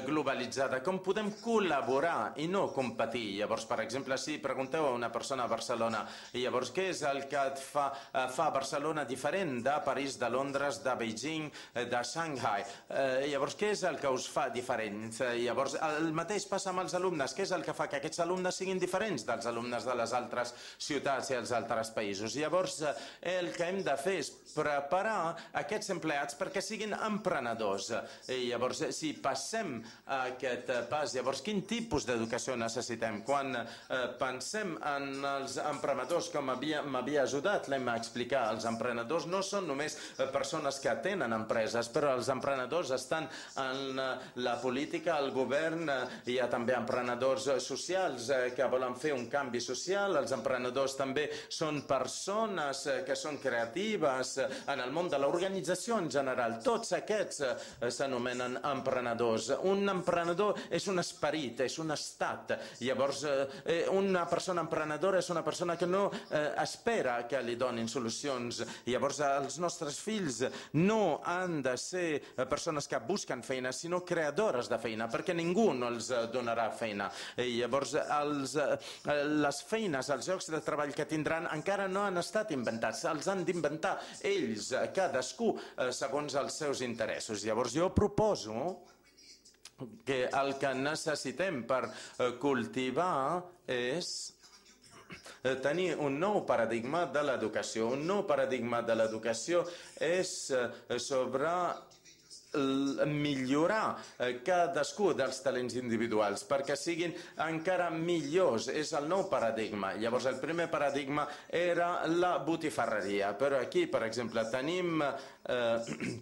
globalitzada, com podem col·laborar i no competir. Llavors, per exemple, si pregunteu a una persona a Barcelona, llavors què és el que et fa, fa Barcelona diferent de París, de Londres, de Beijing, de Shanghai? Eh, llavors, què és el que us fa diferents? Llavors, el mateix passa amb els alumnes. Què és el que fa que aquests alumnes siguin diferents dels alumnes de les altres ciutats i els altres països? Llavors, el que hem de fer és preparar aquests empleats perquè siguin emprenedors. I llavors, si passem a aquest pas, llavors quin tipus d'educació necessitem? Quan eh, pensem en els emprenedors, com m'havia ajudat l'Emma a explicar, els emprenedors no són només persones que tenen empreses, però els emprenedors estan en la política, el govern, hi ha també emprenedors socials que volen fer un canvi social, els emprenedors també són persones que són creatives en el món de l'organització en general. Tots aquests eh, s'anomenen emprenedors. Un emprenedor és un esperit, és un estat. Llavors, eh, una persona emprenedora és una persona que no eh, espera que li donin solucions. Llavors, els nostres fills no han de ser persones que busquen feina, sinó creadores de feina, perquè ningú no els donarà feina. I llavors, els, les feines, els llocs de treball que tindran encara no han estat inventats. Els han d'inventar ells, cadascú, eh, segons els seus interessos. Llavors jo proposo que el que necessitem per cultivar és tenir un nou paradigma de l'educació. Un nou paradigma de l'educació és sobre millorar cadascú dels talents individuals perquè siguin encara millors. És el nou paradigma. Llavors el primer paradigma era la botifarreria, però aquí, per exemple, tenim eh,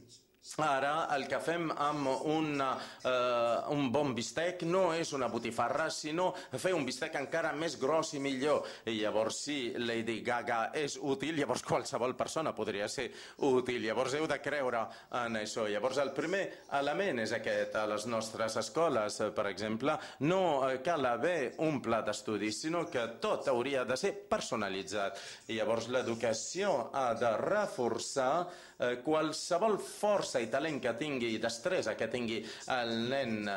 Ara el que fem amb una, eh, un bon bistec no és una botifarra, sinó fer un bistec encara més gros i millor. I llavors, si Lady Gaga és útil, llavors qualsevol persona podria ser útil. Llavors heu de creure en això. Llavors el primer element és aquest. A les nostres escoles, per exemple, no cal haver un pla d'estudis, sinó que tot hauria de ser personalitzat. I llavors l'educació ha de reforçar eh, qualsevol força i talent que tingui, i destresa que tingui el nen,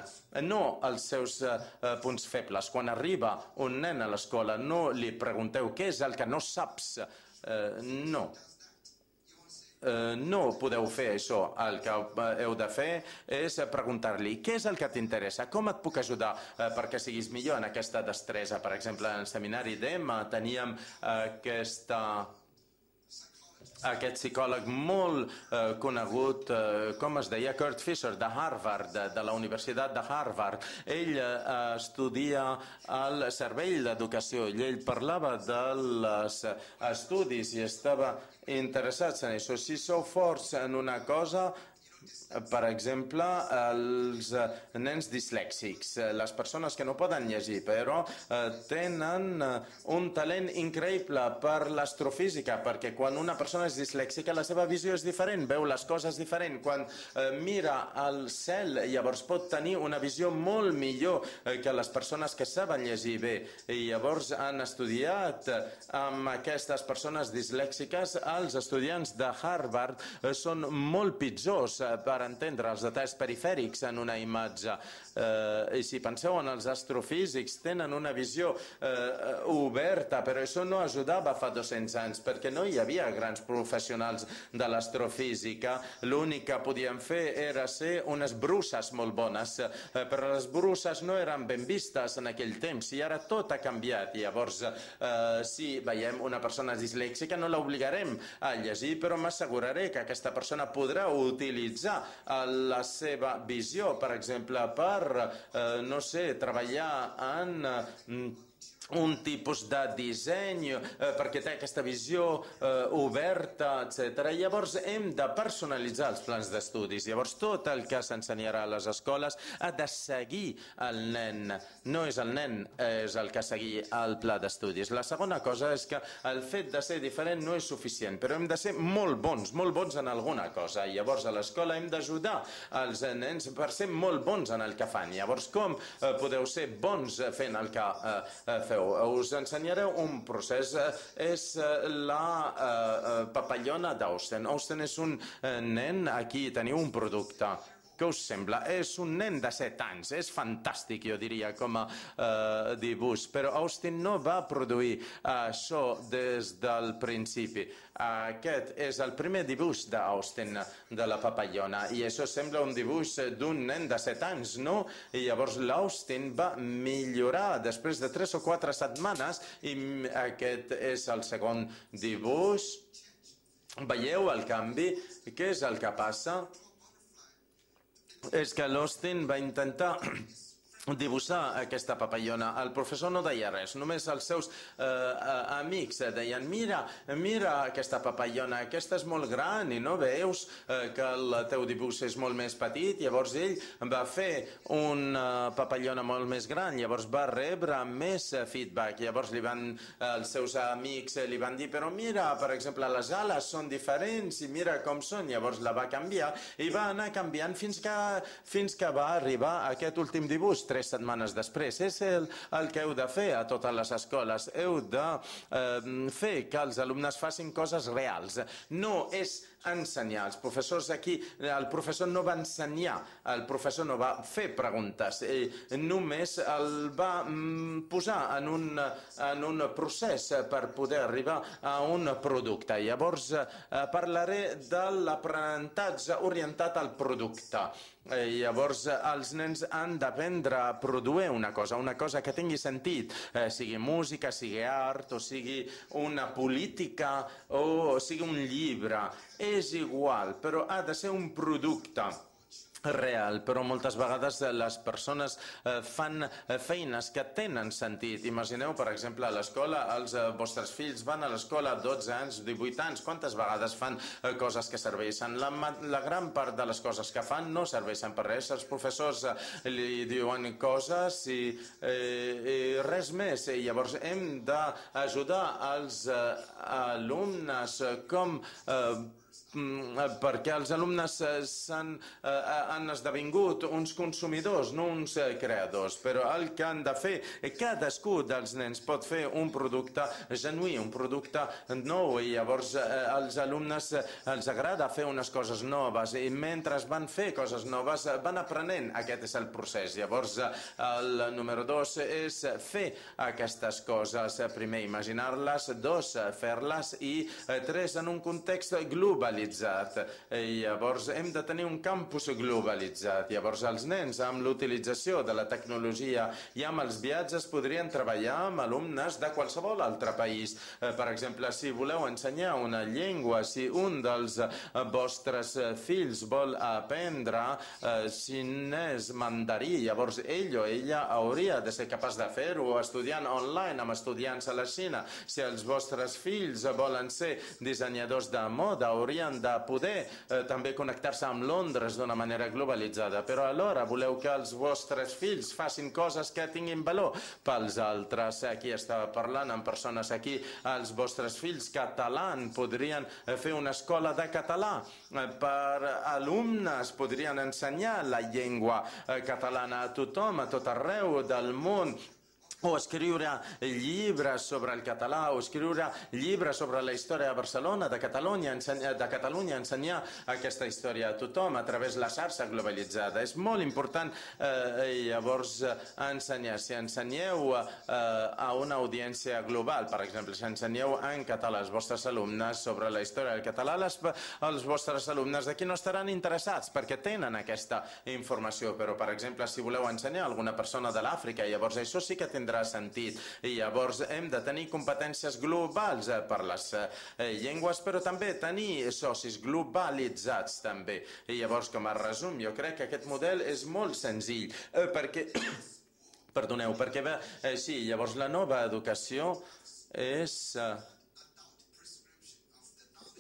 no els seus eh, punts febles. Quan arriba un nen a l'escola, no li pregunteu què és el que no saps. Eh, no. Eh, no podeu fer això. El que heu de fer és preguntar-li què és el que t'interessa, com et puc ajudar eh, perquè siguis millor en aquesta destresa. Per exemple, en el seminari d'Emma teníem aquesta... aquest psicòleg molt eh, conegut, eh, com es deia, Kurt Fisher, de Harvard, de, de la Universitat de Harvard. Ell eh, estudia el servei d'educació i ell parlava dels estudis i estava interessat en això. Si sou forts en una cosa, per exemple, els nens dislèxics, les persones que no poden llegir, però tenen un talent increïble per l'astrofísica, perquè quan una persona és dislèxica la seva visió és diferent, veu les coses diferent. Quan mira al cel, llavors pot tenir una visió molt millor que les persones que saben llegir bé. I llavors han estudiat amb aquestes persones dislèxiques. Els estudiants de Harvard són molt pitjors per entendre els detalls perifèrics en una imatge. Eh, I si penseu en els astrofísics, tenen una visió eh, oberta, però això no ajudava fa dos-cents anys, perquè no hi havia grans professionals de l'astrofísica. L'únic que podien fer era ser unes bruces molt bones, eh, però les bruces no eren ben vistes en aquell temps, i ara tot ha canviat. Llavors, eh, si veiem una persona dislèxica, no l'obligarem a llegir, però m'asseguraré que aquesta persona podrà utilitzar la seva visió, per exemple, per, eh, no sé, treballar en eh, un tipus de disseny, eh, perquè té aquesta visió eh, oberta, etcètera. Llavors hem de personalitzar els plans d'estudis. Llavors tot el que s'ensenyarà a les escoles ha de seguir el nen. No és el nen, és el que seguir el pla d'estudis. La segona cosa és que el fet de ser diferent no és suficient, però hem de ser molt bons, molt bons en alguna cosa. Llavors a l'escola hem d'ajudar els nens per ser molt bons en el que fan. Llavors com eh, podeu ser bons fent el que eh, feu? Us ensenyareu un procés, és la papallona d'Austen. Austen és un nen, aquí teniu un producte. Què us sembla? És un nen de set anys, és fantàstic, jo diria, com a eh, dibuix, però Austen no va produir això des del principi. Aquest és el primer dibuix d'Austen, de la papallona, i això sembla un dibuix d'un nen de set anys, no? I llavors l'Austen va millorar després de tres o quatre setmanes, i aquest és el segon dibuix. Veieu el canvi? Què és el que passa? És que l'Austen va intentar dibuixar aquesta papallona. El professor no deia res, només els seus eh, amics deien mira, mira aquesta papallona, aquesta és molt gran i no veus eh, que el teu dibuix és molt més petit. Llavors ell va fer una papallona molt més gran, llavors va rebre més feedback. Llavors li van, els seus amics li van dir però mira, per exemple, les ales són diferents i mira com són. Llavors la va canviar i va anar canviant fins que, fins que va arribar a aquest últim dibuix tres setmanes després. És el, el que heu de fer a totes les escoles. Heu de eh, fer que els alumnes facin coses reals. No és ensenyar. Els professors aquí, el professor no va ensenyar, el professor no va fer preguntes, ell només el va posar en un, en un procés per poder arribar a un producte. Llavors parlaré de l'aprenentatge orientat al producte. Llavors els nens han d'aprendre a produir una cosa, una cosa que tingui sentit, eh, sigui música, sigui art, o sigui una política, o sigui un llibre. És igual, però ha de ser un producte. real, però moltes vegades les persones fan feines que tenen sentit. Imagineu, per exemple, a l'escola, els vostres fills van a l'escola dotze anys, divuit anys, quantes vegades fan coses que serveixen? La, la gran part de les coses que fan no serveixen per res. Els professors li diuen coses i, eh, i res més. I llavors hem d'ajudar els alumnes com eh, perquè els alumnes s'han, eh, han esdevingut uns consumidors, no uns creadors, però el que han de fer, cadascú dels nens pot fer un producte genuí, un producte nou, i llavors eh, als alumnes els agrada fer unes coses noves, i mentre van fer coses noves van aprenent. Aquest és el procés. Llavors el número dos és fer aquestes coses, primer imaginar-les, dos fer-les, i tres en un context globalitzat. I llavors hem de tenir un campus globalitzat. Llavors els nens, amb l'utilització de la tecnologia i amb els viatges, podrien treballar amb alumnes de qualsevol altre país. Per exemple, si voleu ensenyar una llengua, si un dels vostres fills vol aprendre xinès mandarí, llavors ell o ella hauria de ser capaç de fer-ho estudiant online amb estudiants a la Xina. Si els vostres fills volen ser dissenyadors de moda, haurien de poder eh, també connectar-se amb Londres d'una manera globalitzada, però alhora voleu que els vostres fills facin coses que tinguin valor pels altres. Aquí estava parlant amb persones aquí, els vostres fills catalans podrien fer una escola de català per alumnes, podrien ensenyar la llengua catalana a tothom, a tot arreu del món, o escriure llibres sobre el català, o escriure llibres sobre la història de Barcelona, de Catalunya, ensenyar, de Catalunya, ensenyar aquesta història a tothom a través de la xarxa globalitzada. És molt important eh, llavors ensenyar. Si ensenyeu eh, a una audiència global, per exemple, si ensenyeu en català als vostres alumnes sobre la història del català, les, els vostres alumnes d'aquí no estaran interessats perquè tenen aquesta informació, però per exemple, si voleu ensenyar a alguna persona de l'Àfrica, llavors això sí que tindrà sentit. I llavors hem de tenir competències globals per les llengües, però també tenir socis globalitzats també. I llavors, com a resum, jo crec que aquest model és molt senzill, perquè perdoneu, perquè bé, sí, llavors la nova educació és...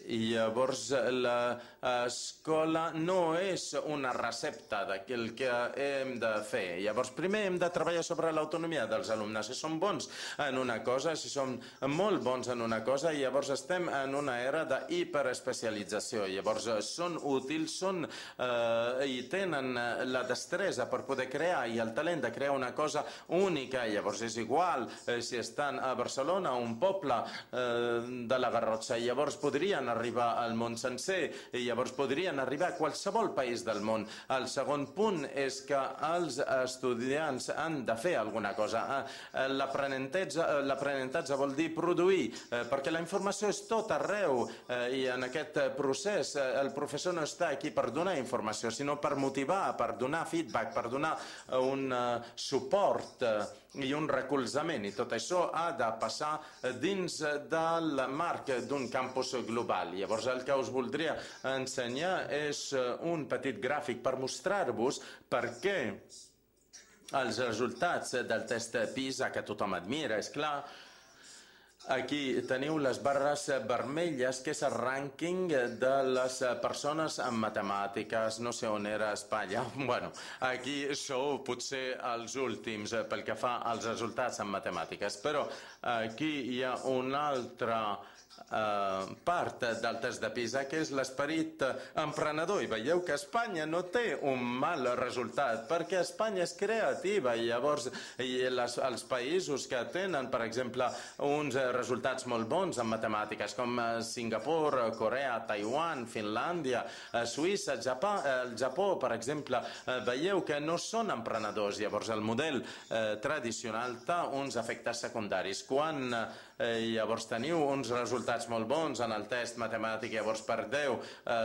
I llavors l'escola no és una recepta del que hem de fer. Llavors primer hem de treballar sobre l'autonomia dels alumnes. Si són bons en una cosa, si són molt bons en una cosa, llavors estem en una era d'hiperespecialització. Llavors són útils, són eh, i tenen la destresa per poder crear i el talent de crear una cosa única. Llavors és igual eh, si estan a Barcelona, un poble eh, de la Garrotxa. Llavors podrien arribar al món sencer i llavors podrien arribar a qualsevol país del món. El segon punt és que els estudiants han de fer alguna cosa. L'aprenentatge vol dir produir, perquè la informació és tot arreu i en aquest procés el professor no està aquí per donar informació, sinó per motivar, per donar feedback, per donar un suport i un recolzament, i tot això ha de passar dins del marc d'un campus global. Llavors el que us voldria ensenyar és un petit gràfic per mostrar-vos per què els resultats del test PISA, que tothom admira, és clar. Aquí teniu les barres vermelles, que és el rànquing de les persones en matemàtiques. No sé on era Espanya. Bueno, aquí sou potser els últims pel que fa als resultats en matemàtiques. Però aquí hi ha una altra Uh, part del test de PISA, que és l'esperit emprenedor, i veieu que Espanya no té un mal resultat perquè Espanya és creativa, i llavors i les, els països que tenen, per exemple, uns resultats molt bons en matemàtiques, com Singapur, Corea, Taiwan, Finlàndia, Suïssa, Japó, el Japó, per exemple, veieu que no són emprenedors. Llavors el model eh, tradicional té uns efectes secundaris. Quan eh, llavors teniu uns resultats resultats molt bons en el test matemàtic, llavors perdeu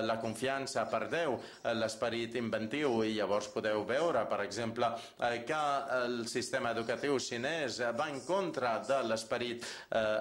la confiança, perdeu l'esperit inventiu i llavors podeu veure, per exemple, que el sistema educatiu xinès va en contra de l'esperit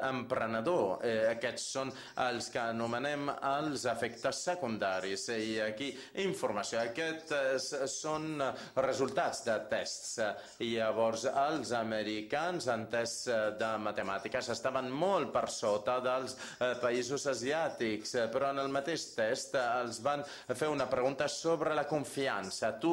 emprenedor. Aquests són els que anomenem els efectes secundaris. I aquí informació. Aquests són resultats de tests. I llavors els americans en tests de matemàtiques estaven molt per sota dels països asiàtics, però en el mateix test els van fer una pregunta sobre la confiança. Tu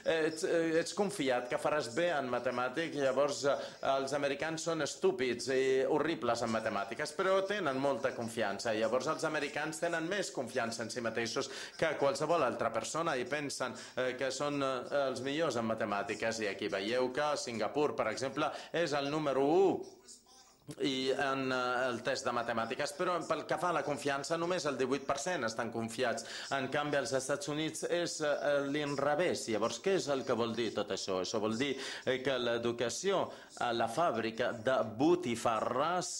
ets, ets confiat que faràs bé en matemàtics, llavors els americans són estúpids i horribles en matemàtiques, però tenen molta confiança. Llavors els americans tenen més confiança en si mateixos que qualsevol altra persona i pensen que són els millors en matemàtiques. I aquí veieu que Singapur, per exemple, és el número u i en el test de matemàtiques, però pel que fa a la confiança només el divuit per cent estan confiats. En canvi als Estats Units és l'inrevés. Llavors què és el que vol dir tot això? Això vol dir que l'educació a la fàbrica de botifarres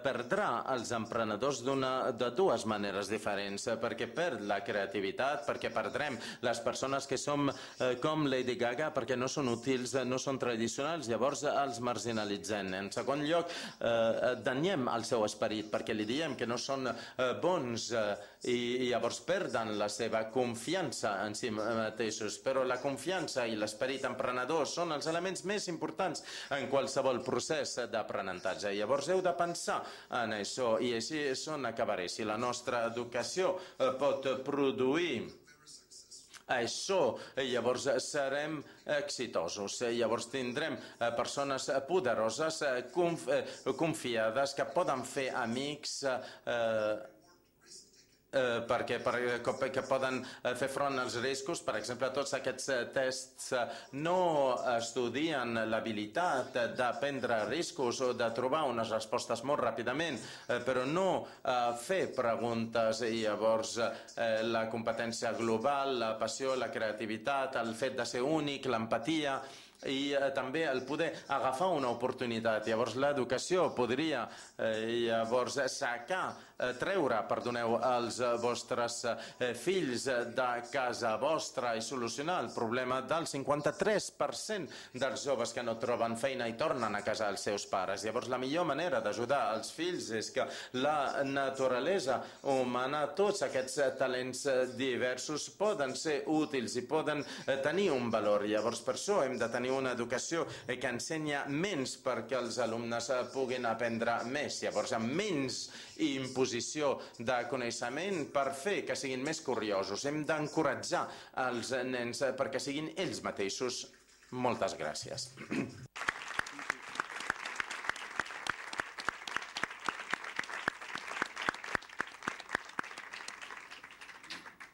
perdrà els emprenedors de dues maneres diferents, perquè perd la creativitat, perquè perdrem les persones que som com Lady Gaga, perquè no són útils, no són tradicionals, llavors els marginalitzem. En segon lloc, danyem el seu esperit perquè li diem que no són bons i llavors perden la seva confiança en si mateixos. Però la confiança i l'esperit emprenedor són els elements més importants en qualsevol procés d'aprenentatge. Llavors heu de pensar en això i així és on acabaré. Si la nostra educació pot produir això, llavors serem exitosos. Llavors tindrem persones poderoses, confiades, que poden fer amics, perquè que poden fer front als riscos. Per exemple, tots aquests tests no estudien l'habilitat de prendre riscos o de trobar unes respostes molt ràpidament, però no fer preguntes. I llavors la competència global, la passió, la creativitat, el fet de ser únic, l'empatia i també el poder agafar una oportunitat. Llavors l'educació podria llavors sacar, treure, perdoneu, els vostres fills de casa vostra i solucionar el problema del cinquanta-tres per cent dels joves que no troben feina i tornen a casa dels seus pares. Llavors la millor manera d'ajudar els fills és que la naturalesa humana, tots aquests talents diversos poden ser útils i poden tenir un valor. Llavors per això hem de tenir una educació que ensenya menys perquè els alumnes puguin aprendre més. Llavors, amb menys imposició de coneixement per fer que siguin més curiosos. Hem d'encoratjar els nens perquè siguin ells mateixos. Moltes gràcies.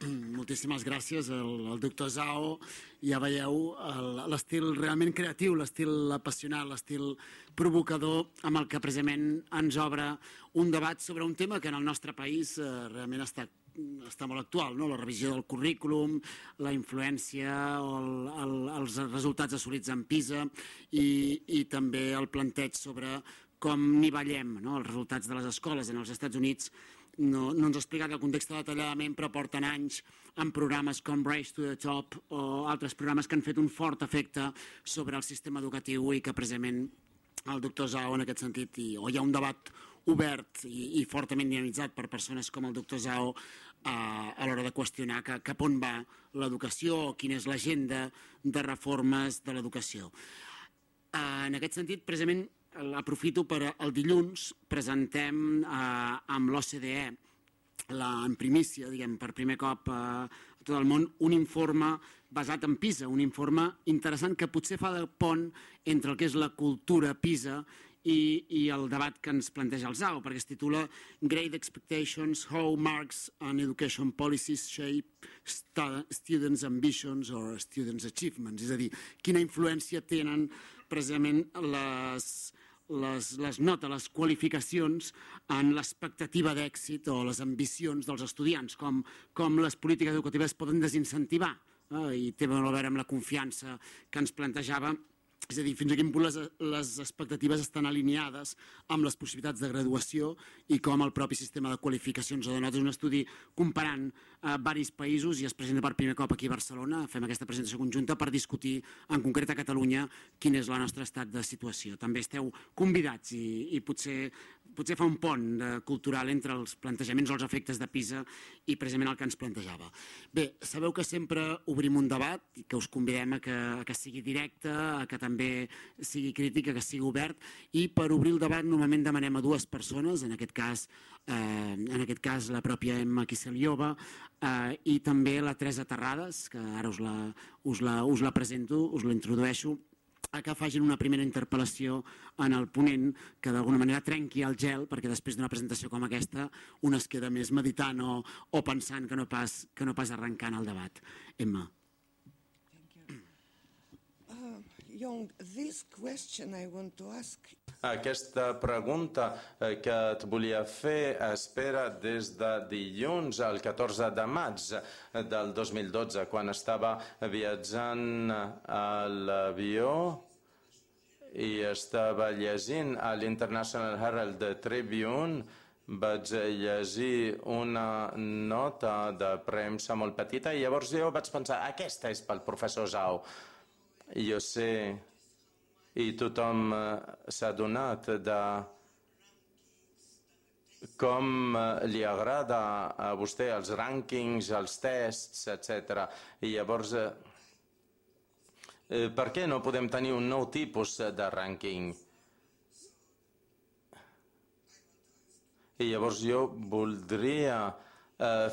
Moltíssimes gràcies al doctor Zhao. Ja veieu l'estil realment creatiu, l'estil apassionat, l'estil provocador amb el que precisament ens obre un debat sobre un tema que en el nostre país realment està està molt actual, no? La revisió del currículum, la influència o el, el, els resultats assolits en PISA i, i també el planteig sobre com nivellem, no? Els resultats de les escoles en els Estats Units. No, no ens ha explicat el context detalladament, però porten anys en programes com Race to the Top o altres programes que han fet un fort efecte sobre el sistema educatiu i que precisament el doctor Zhao en aquest sentit, i, o hi ha un debat obert i, i fortament dinamitzat per persones com el doctor Zhao eh, a l'hora de qüestionar que, cap on va l'educació o quina és l'agenda de reformes de l'educació. Eh, en aquest sentit, precisament, aprofito per el dilluns presentem eh, amb l'O C D E la, en primícia, diguem, per primer cop eh, a tot el món, un informe basat en PISA, un informe interessant que potser fa de pont entre el que és la cultura PISA i, i el debat que ens planteja el Zhao, perquè es titula Great Expectations, How Marks and Education Policies Shape Students' Ambitions or Students' Achievements, és a dir, quina influència tenen precisament les, les, les notes, les qualificacions en l'expectativa d'èxit o les ambicions dels estudiants, com, com les polítiques educatives poden desincentivar, eh? I té molt a veure amb la confiança que ens plantejava És a dir, fins a quin punt les, les expectatives estan alineades amb les possibilitats de graduació i com el propi sistema de qualificacions ha donat un estudi comparant eh, varis països i es presenta per primer cop aquí a Barcelona. Fem aquesta presentació conjunta per discutir en concret a Catalunya quin és el nostre estat de situació. També esteu convidats i, i potser, potser fa un pont de, cultural entre els plantejaments o els efectes de PISA i precisament el que ens plantejava. Bé, sabeu que sempre obrim un debat i que us convidem a que, a que sigui directe, a que també sigui crítica, que sigui obert, i per obrir el debat normalment demanem a dues persones, en aquest cas, eh, en aquest cas la pròpia Emma Kiseliova eh, i també la Teresa Terrades, que ara us la, us la, us la presento, us la introdueixo, a que facin una primera interpel·lació en el ponent que d'alguna manera trenqui el gel, perquè després d'una presentació com aquesta un es queda més meditant o, o pensant que no pas, que no pas arrencant el debat. Emma. Young, this question I want to ask. Aquesta pregunta que et volia fer espera des de dilluns al catorze de maig del dos mil dotze, quan estava viatjant a l'avió i estava llegint a l'International Herald Tribune. Vaig llegir una nota de premsa molt petita i llavors jo vaig pensar, aquesta és pel professor Zhao. Jo sé, i tothom s'ha adonat de com li agrada a vostè els rànquings, els tests, etcètera. I llavors, per què no podem tenir un nou tipus de rànquing? I llavors jo voldria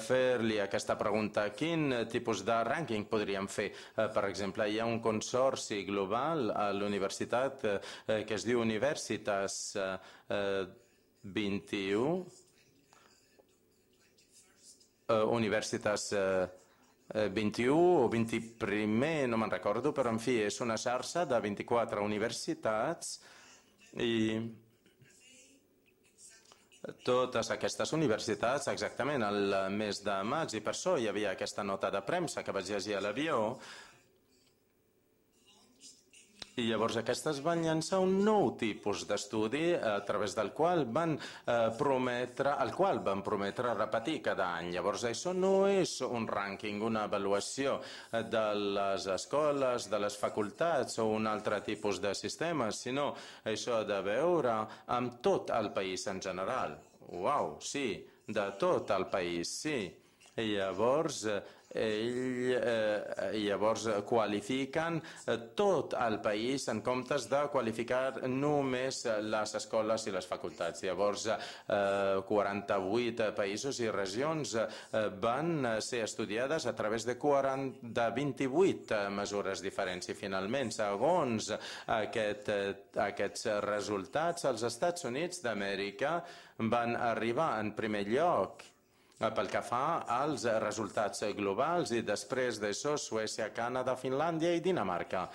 fer-li aquesta pregunta. Quin tipus de rànquing podríem fer? Per exemple, hi ha un consorci global a l'universitat que es diu Universitas vint i u, Universitas vint i u o vint i primer, no me'n recordo, però en fi, és una xarxa de vint-i-quatre universitats i totes aquestes universitats exactament el mes de maig, i per això hi havia aquesta nota de premsa que vaig llegir a l'avió. I llavors aquestes van llançar un nou tipus d'estudi a través del qual van eh, prometre, el qual van prometre repetir cada any. Llavors això no és un rànquing, una avaluació de les escoles, de les facultats o un altre tipus de sistema, sinó això de veure amb tot el país en general. Uau, sí, de tot el país, sí. I llavors ell, eh, llavors qualifiquen tot el país en comptes de qualificar només les escoles i les facultats. Llavors eh, quaranta-vuit països i regions eh, van ser estudiades a través de, quaranta, de vint-i-vuit mesures diferents i finalment, segons aquest, aquests resultats, els Estats Units d'Amèrica van arribar en primer lloc pel que fa als resultats globals i després d'això Suècia, Canadà, Finlàndia i Dinamarca.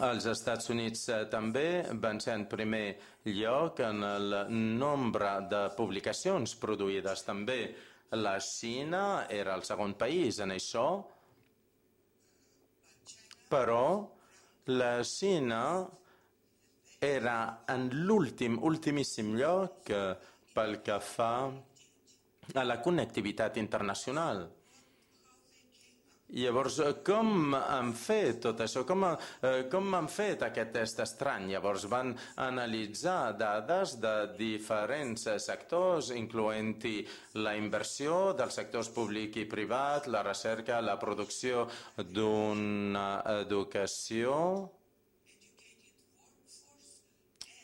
Els Estats Units també van ser en primer lloc en el nombre de publicacions produïdes. També la Xina era el segon país en això, però la Xina era en l'últim, ultimíssim lloc pel que fa a la connectivitat internacional. Llavors, com han fet tot això? Com, eh, com han fet aquest test estrany? Llavors van analitzar dades de diferents sectors, incloent-hi la inversió dels sectors públic i privat, la recerca, la producció d'una educació,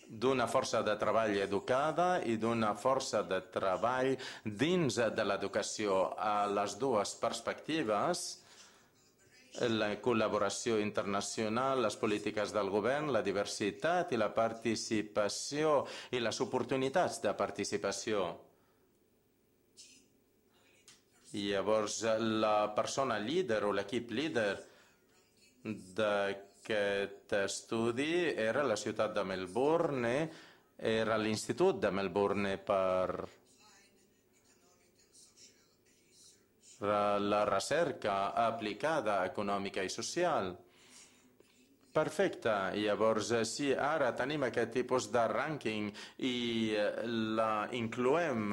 d'una força de treball educada i d'una força de treball dins de l'educació. A les dues perspectives, la col·laboració internacional, les polítiques del govern, la diversitat i la participació i les oportunitats de participació. I llavors la persona líder o l'equip líder de Aquest estudi era la ciutat de Melbourne, era l'Institut de Melbourne per la recerca aplicada econòmica i social. Perfecte. Llavors, si ara tenim aquest tipus de rànquing i la incloem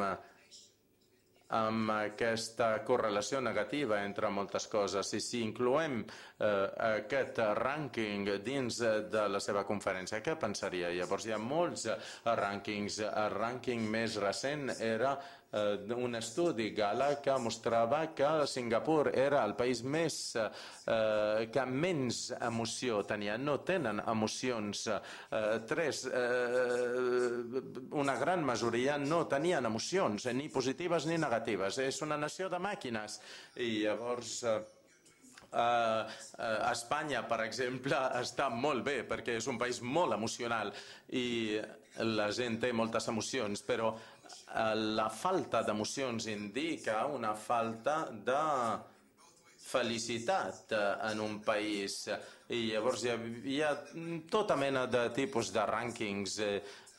amb aquesta correlació negativa entre moltes coses, i si incloem eh, aquest rànquing dins de la seva conferència, què pensaria? Llavors hi ha molts rànquings. El rànquing més recent era eh, un estudi Gala que mostrava que Singapur era el país més eh, que menys emoció tenia. No tenen emocions. Eh, tres, eh, una gran majoria no tenien emocions, ni positives ni negatives. És una nació de màquines. I llavors eh, Uh, uh, Espanya, per exemple, està molt bé perquè és un país molt emocional i la gent té moltes emocions, però uh, la falta d'emocions indica una falta de felicitat uh, en un país. I llavors hi ha, hi ha tota mena de tipus de rànquings.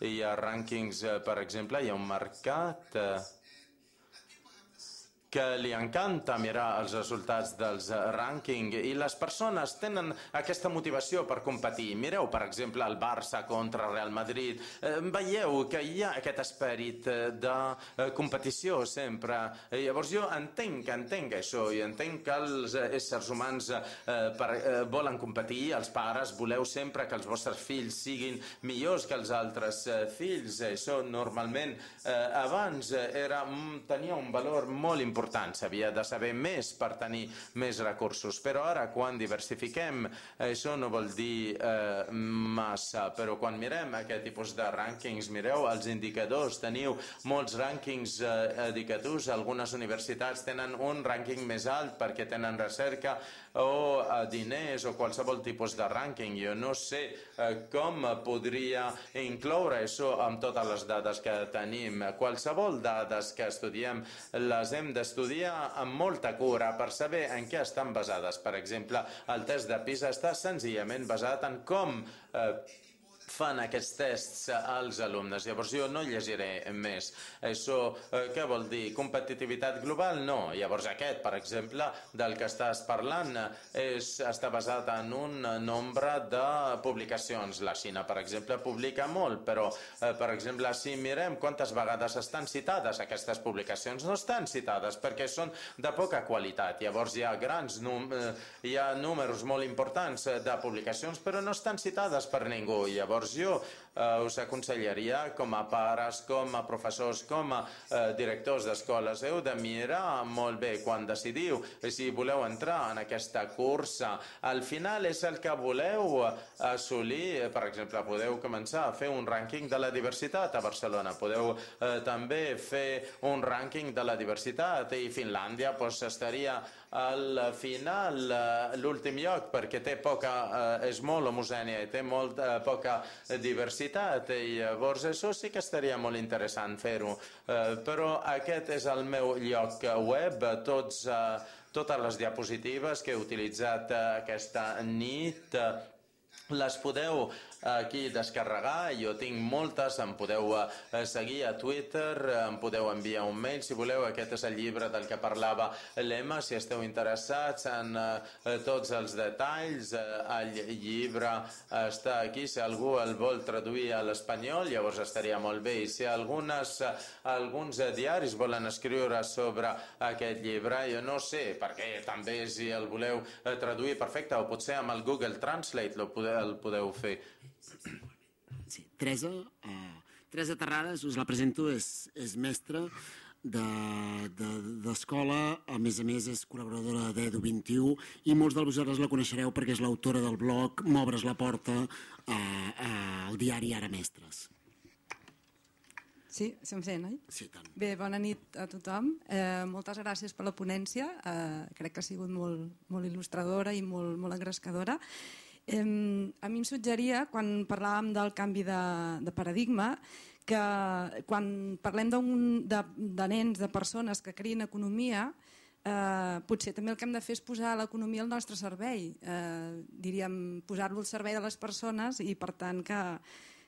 Hi ha rànquings, uh, per exemple, hi ha un mercat uh, que li encanta mirar els resultats dels rànquing i les persones tenen aquesta motivació per competir. Mireu, per exemple, el Barça contra Real Madrid. Eh, veieu que hi ha aquest esperit de eh, competició sempre. Eh, llavors jo entenc, entenc això i entenc que els éssers humans eh, per, eh, volen competir, els pares voleu sempre que els vostres fills siguin millors que els altres eh, fills. Això normalment eh, abans era, tenia un valor molt important. S'havia de saber més per tenir més recursos, però ara quan diversifiquem això no vol dir eh, massa, però quan mirem aquest tipus de rànquings, mireu els indicadors, teniu molts rànquings eh, indicatius, algunes universitats tenen un rànquing més alt perquè tenen recerca o eh, diners o qualsevol tipus de rànquing. Jo no sé eh, com podria incloure això amb totes les dades que tenim. Qualsevol dades que estudiem les hem d'estudiar amb molta cura per saber en què estan basades. Per exemple, el test de PISA està senzillament basat en com eh, fan aquests tests als alumnes. Llavors jo no llegiré més. Això eh, què vol dir? Competitivitat global? No. Llavors aquest, per exemple, del que estàs parlant és, està basat en un nombre de publicacions. La Xina, per exemple, publica molt, però, eh, per exemple, si mirem quantes vegades estan citades aquestes publicacions, no estan citades perquè són de poca qualitat. Llavors hi ha grans num eh, hi ha números molt importants de publicacions, però no estan citades per ningú. Llavors jo eh, us aconsellaria com a pares, com a professors, com a eh, directors d'escoles, heu de mirar molt bé quan decidiu si voleu entrar en aquesta cursa. Al final és el que voleu assolir. Per exemple, podeu començar a fer un rànquing de la diversitat a Barcelona, podeu eh, també fer un rànquing de la diversitat i Finlàndia pues, estaria al final l'últim lloc perquè té poca, eh, és molt homogènia i té molt eh, poca diversitat i llavors això sí que estaria molt interessant fer-ho, eh, però aquest és el meu lloc web, tots, eh, totes les diapositives que he utilitzat eh, aquesta nit eh, les podeu aquí descarregar, jo tinc moltes, em podeu eh, seguir a Twitter, em podeu enviar un mail si voleu. Aquest és el llibre del que parlava l'Emma, si esteu interessats en eh, tots els detalls. Eh, el llibre està aquí, si algú el vol traduir a l'espanyol, llavors estaria molt bé. I si algunes, alguns diaris volen escriure sobre aquest llibre, jo no sé, perquè també si el voleu eh, traduir perfecte, o potser amb el Google Translate el podeu, el podeu fer. Sí, Teresa, eh, Teresa Terrades, us la presento, és, és mestra d'escola, de, de, a més a més és col·laboradora d'Edu vint i u i molts de vosaltres la coneixereu perquè és l'autora del blog M'obres la porta eh, eh, al diari Ara Mestres. Sí, estem fent, oi? Sí, tant. Bé, bona nit a tothom. Eh, moltes gràcies per la ponència. Eh, crec que ha sigut molt, molt il·lustradora i molt, molt engrescadora. Eh, a mi em suggeria, quan parlàvem del canvi de, de paradigma, que quan parlem de, de nens, de persones que creïn economia, eh, potser també el que hem de fer és posar l'economia al nostre servei. Eh, diríem, posar-lo al servei de les persones i, per tant, que,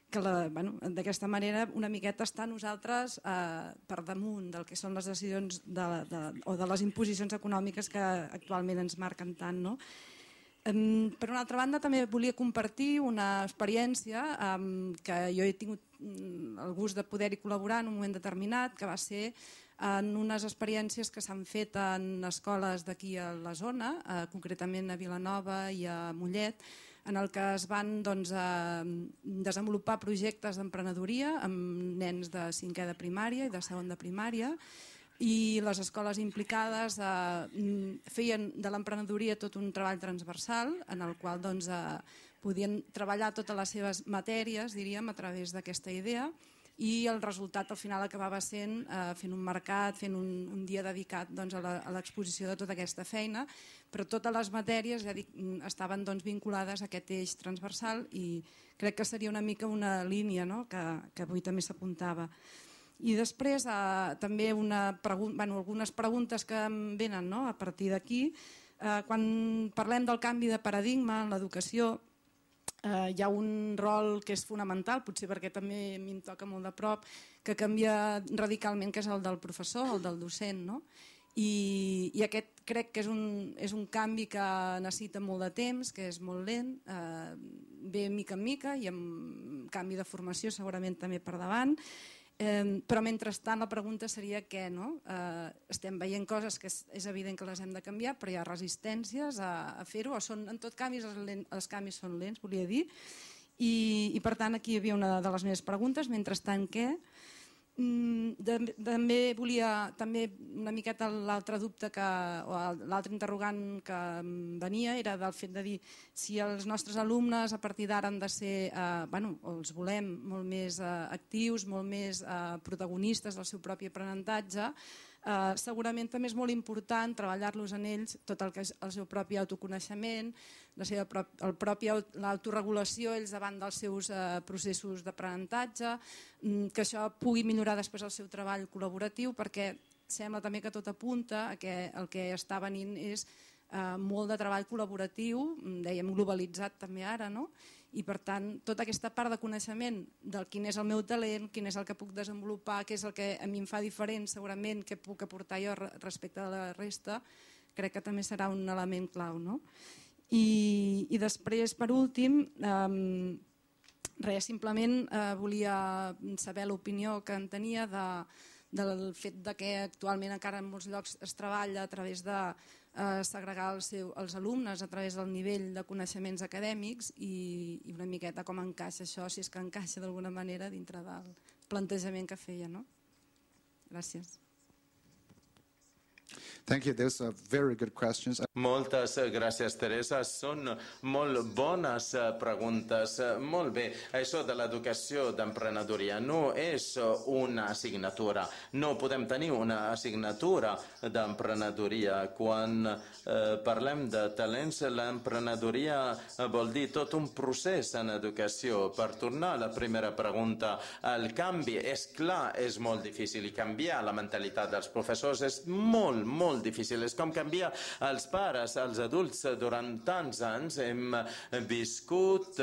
que bueno, d'aquesta manera una miqueta estar nosaltres eh, per damunt del que són les decisions de, de, o de les imposicions econòmiques que actualment ens marquen tant, no? Per una altra banda, també volia compartir una experiència que jo he tingut el gust de poder-hi col·laborar en un moment determinat, que va ser en unes experiències que s'han fet en escoles d'aquí a la zona, concretament a Vilanova i a Mollet, en el que es van doncs, desenvolupar projectes d'emprenedoria amb nens de cinquè de primària i de segon de primària, i les escoles implicades eh, feien de l'emprenedoria tot un treball transversal en el qual doncs, eh, podien treballar totes les seves matèries, diríem, a través d'aquesta idea, i el resultat al final acabava sent eh, fent un mercat, fent un, un dia dedicat doncs, a l'exposició de tota aquesta feina, però totes les matèries ja dic, estaven doncs, vinculades a aquest eix transversal i crec que seria una mica una línia, no? que, que avui també s'apuntava. I després eh, també una pregun bueno, algunes preguntes que em venen no? a partir d'aquí. Eh, quan parlem del canvi de paradigma en l'educació, eh, hi ha un rol que és fonamental, potser perquè també a mi em toca molt de prop, que canvia radicalment, que és el del professor, el del docent. No? I, i aquest crec que és un, és un canvi que necessita molt de temps, que és molt lent, eh, ve mica en mica i amb canvi de formació segurament també per davant. Eh, però mentrestant la pregunta seria què, no? Eh, estem veient coses que és, és evident que les hem de canviar, però hi ha resistències a, a fer-ho, o són, en tot canvi els, els canvis són lents, volia dir, i, i per tant aquí hi havia una de les meves preguntes, mentrestant què? Mm, de, també volia, també una miqueta l'altre dubte que, o l'altre interrogant que venia era del fet de dir si els nostres alumnes a partir d'ara han de ser, eh, bueno, els volem molt més eh, actius, molt més eh, protagonistes del seu propi aprenentatge, eh, segurament també és molt important treballar-los en ells tot el que és el seu propi autoconeixement, la seva prop, el propi l'autoregulació ells davant dels seus eh, processos d'aprenentatge, que això pugui millorar després el seu treball col·laboratiu, perquè sembla també que tot apunta a que el que està venint és eh, molt de treball col·laboratiu, dèiem globalitzat també ara, no? I per tant tota aquesta part de coneixement del quin és el meu talent, quin és el que puc desenvolupar, què és el que a mi em fa diferent segurament, què puc aportar jo respecte a la resta, crec que també serà un element clau, no? I, i després, per últim, eh, res, simplement eh, volia saber l'opinió que en tenia de, del fet de que actualment encara en molts llocs es treballa a través de eh, segregar els, seu, els alumnes a través del nivell de coneixements acadèmics i, i una miqueta com encaixa això, si és que encaixa d'alguna manera dintre del plantejament que feia. No? Gràcies. Thank you. Those are very good questions. Moltes gràcies, Teresa. Són molt bones preguntes. Molt bé, això de l'educació d'emprenedoria no és una assignatura. No podem tenir una assignatura d'emprenedoria. Quan eh, parlem de talents, l'emprenedoria vol dir tot un procés en educació. Per tornar a la primera pregunta, el canvi, és clar, és molt difícil i canviar la mentalitat dels professors és molt, molt difícil. És com canviar els pares, els adults. Durant tants anys hem viscut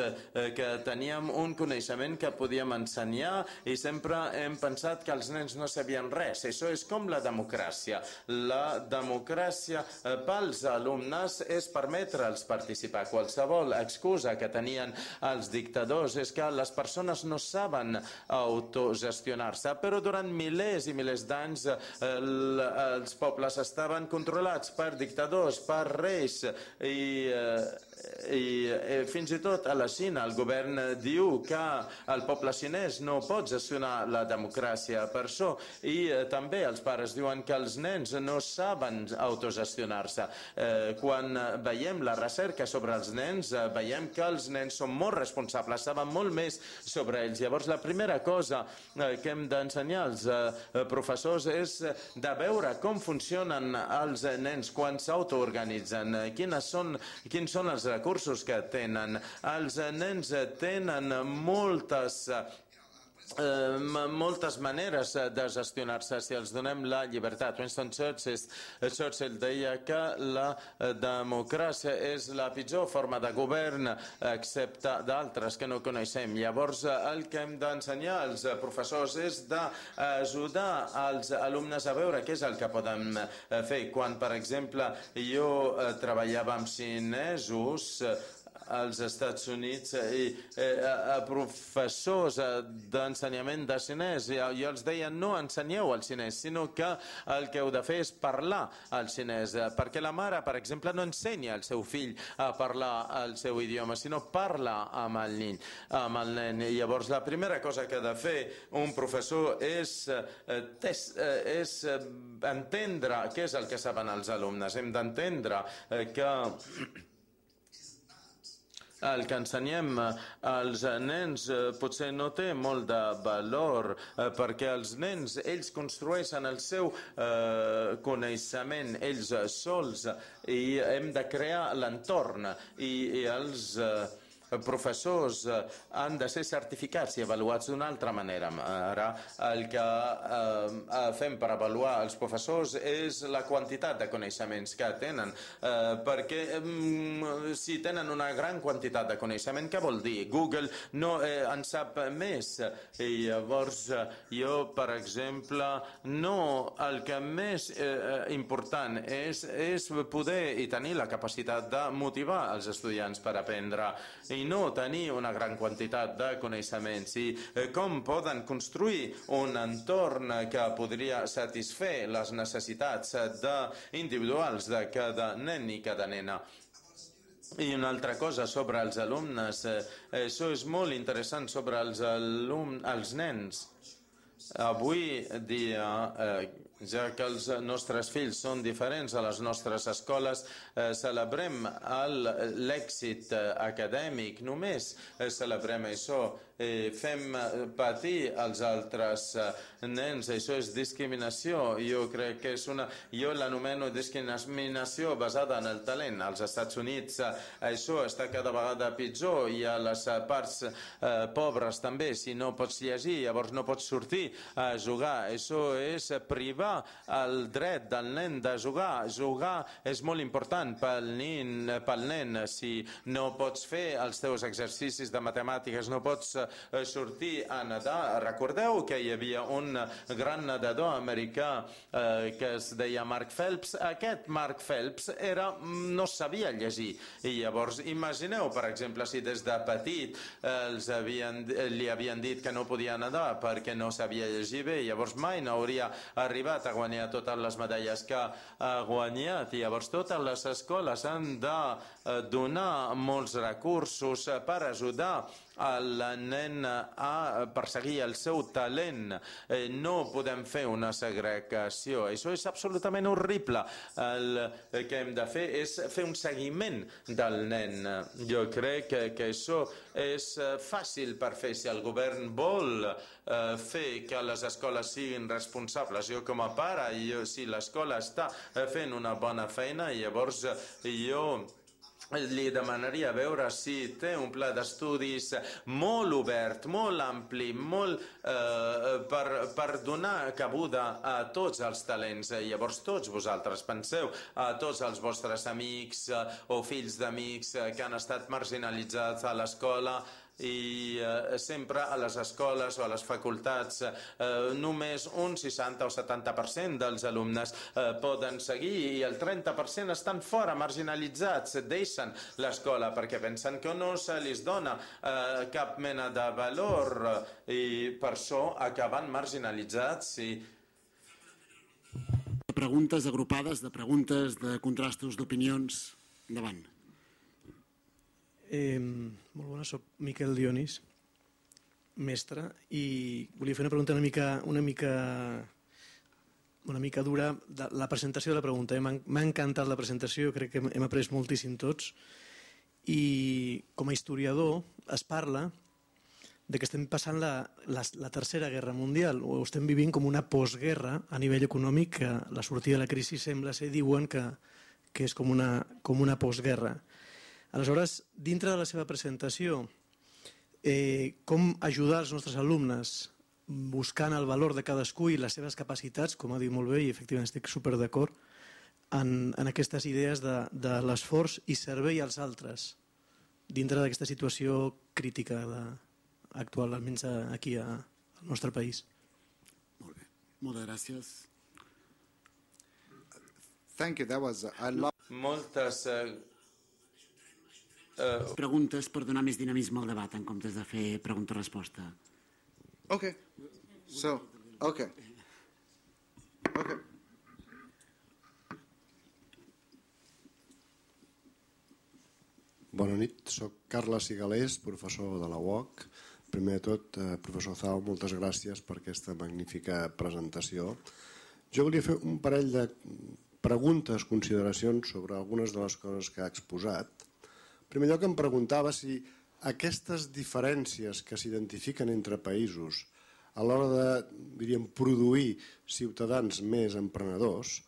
que teníem un coneixement que podíem ensenyar i sempre hem pensat que els nens no sabien res. Això és com la democràcia. La democràcia pels alumnes és permetre'ls participar. Qualsevol excusa que tenien els dictadors és que les persones no saben autogestionar-se, però durant milers i milers d'anys els pobles estaven controlats per dictadors, per reis i, i, i fins i tot a la Xina el govern diu que el poble xinès no pot gestionar la democràcia per això i també els pares diuen que els nens no saben autogestionar-se. Eh, quan veiem la recerca sobre els nens veiem que els nens són molt responsables, saben molt més sobre ells. Llavors la primera cosa que hem d'ensenyar als professors és de veure com funcionen els nens quan s'autoorganitzen, quins són, quins són els recursos que tenen. Els nens tenen moltes Eh, moltes maneres de gestionar-se si els donem la llibertat. Winston Churchill, Churchill deia que la democràcia és la pitjor forma de govern excepte d'altres que no coneixem. Llavors el que hem d'ensenyar als professors és d'ajudar els alumnes a veure què és el que poden fer. Quan, per exemple, jo treballava amb xinesos als Estats Units i eh, a professors d'ensenyament de xinès i jo els deia no ensenyeu el xinès, sinó que el que heu de fer és parlar el xinès, perquè la mare, per exemple, no ensenya al seu fill a parlar el seu idioma, sinó parla amb el nen. Amb el nen. I llavors la primera cosa que ha de fer un professor és, és, és entendre què és el que saben els alumnes. Hem d'entendre que el que ensenyem als nens potser no té molt de valor perquè els nens, ells construeixen el seu eh, coneixement ells sols i hem de crear l'entorn i, i els eh, professors han de ser certificats i avaluats d'una altra manera. Ara el que eh, fem per avaluar els professors és la quantitat de coneixements que tenen, eh, perquè eh, si tenen una gran quantitat de coneixement, què vol dir? Google no eh, en sap més i llavors jo, per exemple, no, el que més eh, important és, és poder i tenir la capacitat de motivar els estudiants per aprendre i no tenir una gran quantitat de coneixements i com poden construir un entorn que podria satisfer les necessitats de individuals de cada nen i cada nena. I una altra cosa sobre els alumnes, això és molt interessant sobre els, alum, els nens. Avui dia, eh, ja que els nostres fills són diferents a les nostres escoles, eh, celebrem l'èxit acadèmic, només celebrem això, eh, fem patir els altres nens, això és discriminació, jo crec que és una, jo l'anomeno discriminació basada en el talent. Als Estats Units això està cada vegada pitjor i a les parts eh, pobres també, si no pots llegir, llavors no pots sortir a jugar, això és privar el dret del nen de jugar. Jugar és molt important pel nen, pel nen. Si no pots fer els teus exercicis de matemàtiques, no pots sortir a nedar. Recordeu que hi havia un gran nedador americà eh, que es deia Mark Phelps. Aquest Mark Phelps era, no sabia llegir. I llavors imagineu, per exemple, si des de petit eh, els havien, li havien dit que no podia nedar perquè no sabia llegir bé, llavors mai no hauria arribat a guanyar totes les medalles que ha guanyat. I llavors totes les escoles han de donar molts recursos per ajudar el nen a perseguir el seu talent. No podem fer una segregació. Això és absolutament horrible. El que hem de fer és fer un seguiment del nen. Jo crec que, que això és fàcil per fer. Si el govern vol eh, fer que les escoles siguin responsables, jo com a pare, jo, si l'escola està fent una bona feina, llavors jo li demanaria veure si té un pla d'estudis molt obert, molt ampli, molt eh, per, per donar cabuda a tots els talents. Llavors tots vosaltres penseu a tots els vostres amics eh, o fills d'amics eh, que han estat marginalitzats a l'escola i eh, sempre a les escoles o a les facultats eh, només un seixanta o setanta per cent dels alumnes eh, poden seguir i el trenta per cent estan fora, marginalitzats, deixen l'escola perquè pensen que no se li dona eh, cap mena de valor i per això acaben marginalitzats i preguntes agrupades, de preguntes, de contrastos, d'opinions. Endavant. Eh, molt bona, soc Miquel Dionís, mestre, i volia fer una pregunta una mica, una mica, una mica dura. De la presentació de la pregunta. M'ha encantat la presentació, crec que hem après moltíssim tots, i com a historiador es parla de que estem passant la, la, la tercera guerra mundial, o estem vivint com una postguerra a nivell econòmic, que la sortida de la crisi sembla ser, diuen que, que és com una, com una postguerra. Aleshores, dintre de la seva presentació, eh, com ajudar els nostres alumnes buscant el valor de cadascú i les seves capacitats, com ha dit molt bé, i efectivament estic super d'acord, en, en aquestes idees de, de l'esforç i servei als altres dintre d'aquesta situació crítica de, actual, almenys aquí a, al nostre país. Molt bé, moltes gràcies. Thank you. That was, I love... Moltes uh, uh, Preguntes per donar més dinamisme al debat en comptes de fer pregunta-resposta. Okay. So, okay. Okay. Bona nit, soc Carles Sigalés, professor de la U O C. Primer de tot, eh, professor Zhao, moltes gràcies per aquesta magnífica presentació. Jo volia fer un parell de preguntes, consideracions sobre algunes de les coses que ha exposat. En primer lloc em preguntava si aquestes diferències que s'identifiquen entre països a l'hora de, diríem, produir ciutadans més emprenedors,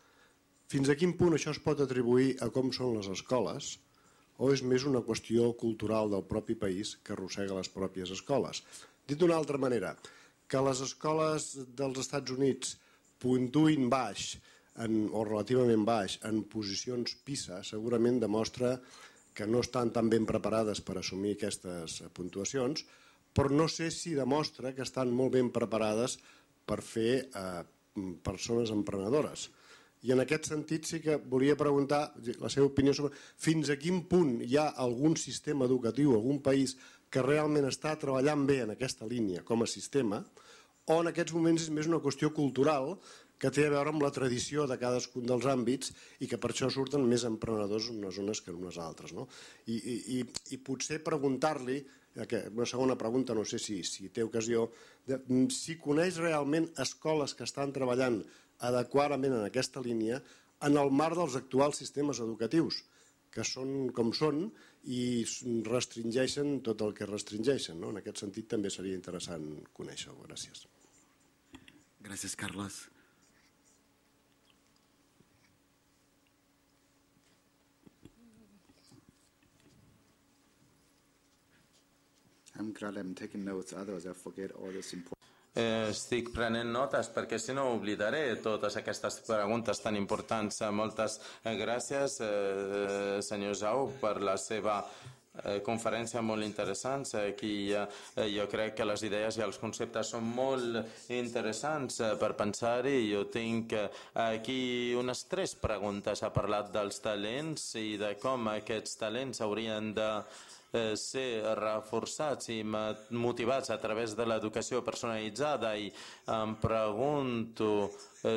fins a quin punt això es pot atribuir a com són les escoles o és més una qüestió cultural del propi país que arrossega les pròpies escoles. Dit d'una altra manera, que les escoles dels Estats Units puntuïn baix en, o relativament baix en posicions PISA segurament demostra que no estan tan ben preparades per assumir aquestes puntuacions, però no sé si demostra que estan molt ben preparades per fer eh, persones emprenedores. I en aquest sentit sí que volia preguntar la seva opinió sobre fins a quin punt hi ha algun sistema educatiu, algun país que realment està treballant bé en aquesta línia com a sistema, o en aquests moments és més una qüestió cultural que té a veure amb la tradició de cadascun dels àmbits i que per això surten més emprenedors en unes zones que en unes altres. No? I, i, I potser preguntar-li, una segona pregunta, no sé si, si té ocasió, de, si coneix realment escoles que estan treballant adequadament en aquesta línia en el marc dels actuals sistemes educatius, que són com són i restringeixen tot el que restringeixen. No? En aquest sentit també seria interessant conèixer-ho. Gràcies. Gràcies, Carles. I'm glad I'm taking notes, otherwise I forget all this important. Eh, estic prenent notes perquè si no oblidaré totes aquestes preguntes tan importants. Moltes gràcies, eh, senyor Zhao, per la seva eh, conferència molt interessant. Aquí eh, jo crec que les idees i els conceptes són molt interessants eh, per pensar-hi. Jo tinc eh, aquí unes tres preguntes. Ha parlat dels talents i de com aquests talents haurien de ser reforçats i motivats a través de l'educació personalitzada, i em pregunto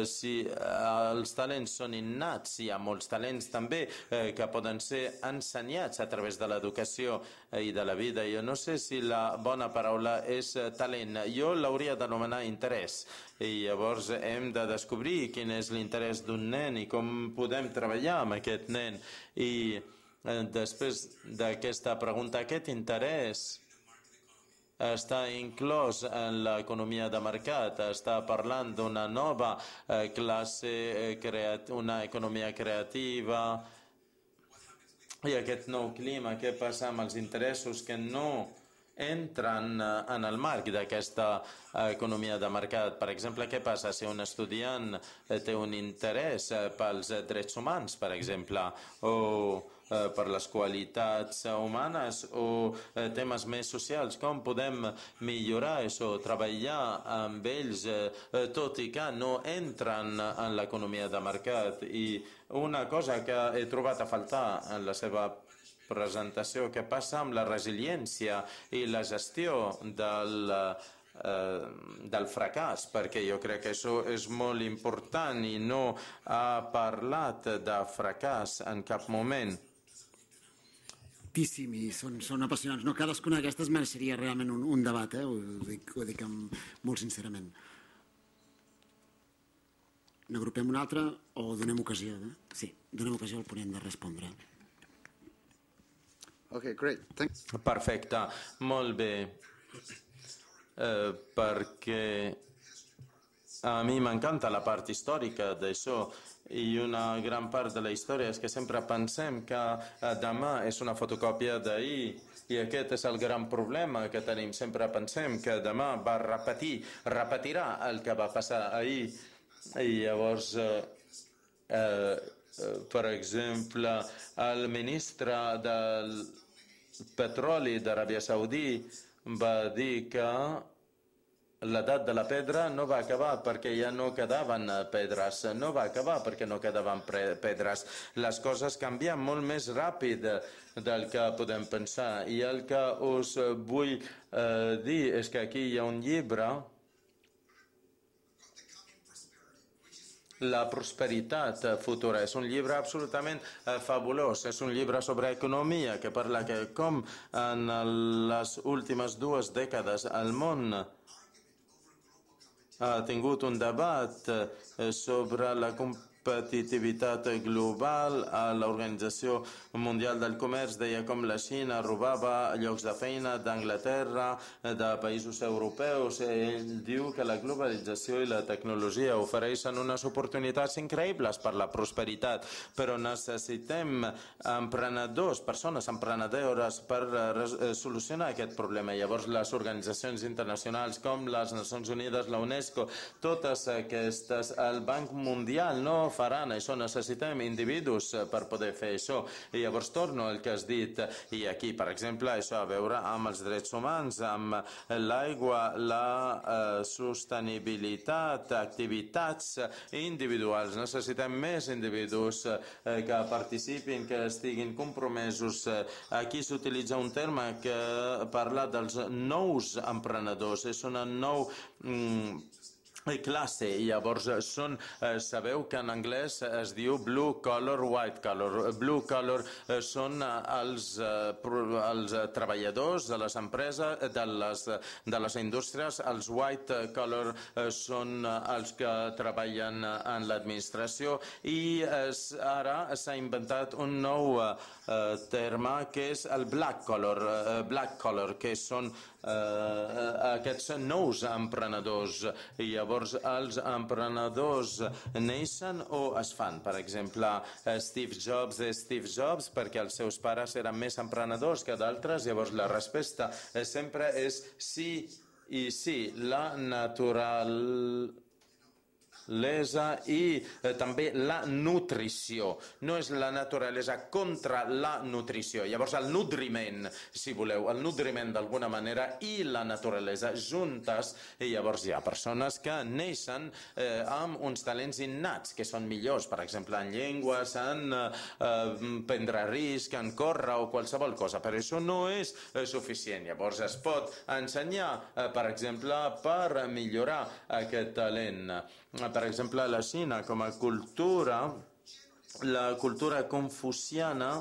si els talents són innats. Hi ha molts talents també que poden ser ensenyats a través de l'educació i de la vida. Jo no sé si la bona paraula és talent. Jo l'hauria d'anomenar interès. I llavors hem de descobrir quin és l'interès d'un nen i com podem treballar amb aquest nen. I després d'aquesta pregunta, aquest interès està inclòs en l'economia de mercat, està parlant d'una nova classe, una economia creativa, i aquest nou clima, què passa amb els interessos que no entren en el marc d'aquesta economia de mercat? Per exemple, què passa si un estudiant té un interès pels drets humans, per exemple, o per les qualitats humanes o temes més socials? Com podem millorar això, treballar amb ells, tot i que no entren en l'economia de mercat? I una cosa que he trobat a faltar en la seva presentació, què passa amb la resiliència i la gestió del, eh, del fracàs, perquè jo crec que això és molt important i no ha parlat de fracàs en cap moment. Moltíssim, i són, són apassionants. No, cadascuna d'aquestes mereixeria realment un, un debat, eh? ho, dic, ho dic amb, molt sincerament. N'agrupem una altra o donem ocasió? Eh? Sí, donem ocasió al ponent de respondre. Okay, great. Thanks. Perfecte, molt bé. Eh, perquè a mi m'encanta la part històrica d'això, i una gran part de la història és que sempre pensem que demà és una fotocòpia d'ahir I aquest és el gran problema que tenim. Sempre pensem que demà va repetir, repetirà el que va passar ahir. I llavors, eh, eh, per exemple, el ministre del petroli d'Aràbia Saudí va dir que l'edat de la pedra no va acabar perquè ja no quedaven pedres, no va acabar perquè no quedaven pedres. Les coses canvien molt més ràpid del que podem pensar. I el que us vull eh, dir és que aquí hi ha un llibre, La prosperitat futura. És un llibre absolutament eh, fabulós. És un llibre sobre economia que parla que com en les últimes dues dècades el món ha tingut un debat sobre la competitivitat global. A l'Organització Mundial del Comerç deia com la Xina robava llocs de feina d'Anglaterra, de països europeus. Ell diu que la globalització i la tecnologia ofereixen unes oportunitats increïbles per la prosperitat, però necessitem emprenedors, persones emprenedores per solucionar aquest problema. Llavors les organitzacions internacionals com les Nacions Unides, la UNESCO, totes aquestes, el Banc Mundial no faran això. Necessitem individus per poder fer això. I llavors torno al que has dit. I aquí, per exemple, això a veure amb els drets humans, amb l'aigua, la eh, sostenibilitat, activitats individuals. Necessitem més individus eh, que participin, que estiguin compromesos. Aquí s'utilitza un terme que parla dels nous emprenedors. És una nou mm, classe. I llavors són, eh, sabeu que en anglès es diu blue collar, white collar. Blue collar eh, són els, eh, els treballadors de les empreses, de les, de les indústries. Els white collar eh, són els que treballen en l'administració. I eh, ara s'ha inventat un nou eh, terme que és el black collar, eh, black collar, que són eh, aquests nous emprenedors. I llavors els emprenedors neixen o es fan. Per exemple, Steve Jobs és Steve Jobs perquè els seus pares eren més emprenedors que d'altres. Llavors la resposta sempre és sí i sí. La natural i eh, també la nutrició. No és la naturalesa contra la nutrició. Llavors el nutriment, si voleu, el nutriment d'alguna manera i la naturalesa juntes. I llavors hi ha persones que neixen eh, amb uns talents innats que són millors, per exemple en llengües, en eh, prendre risc, en córrer o qualsevol cosa, però això no és eh, suficient. Llavors es pot ensenyar, eh, per exemple, per millorar aquest talent. Per exemple, la Xina, com a cultura, la cultura confuciana,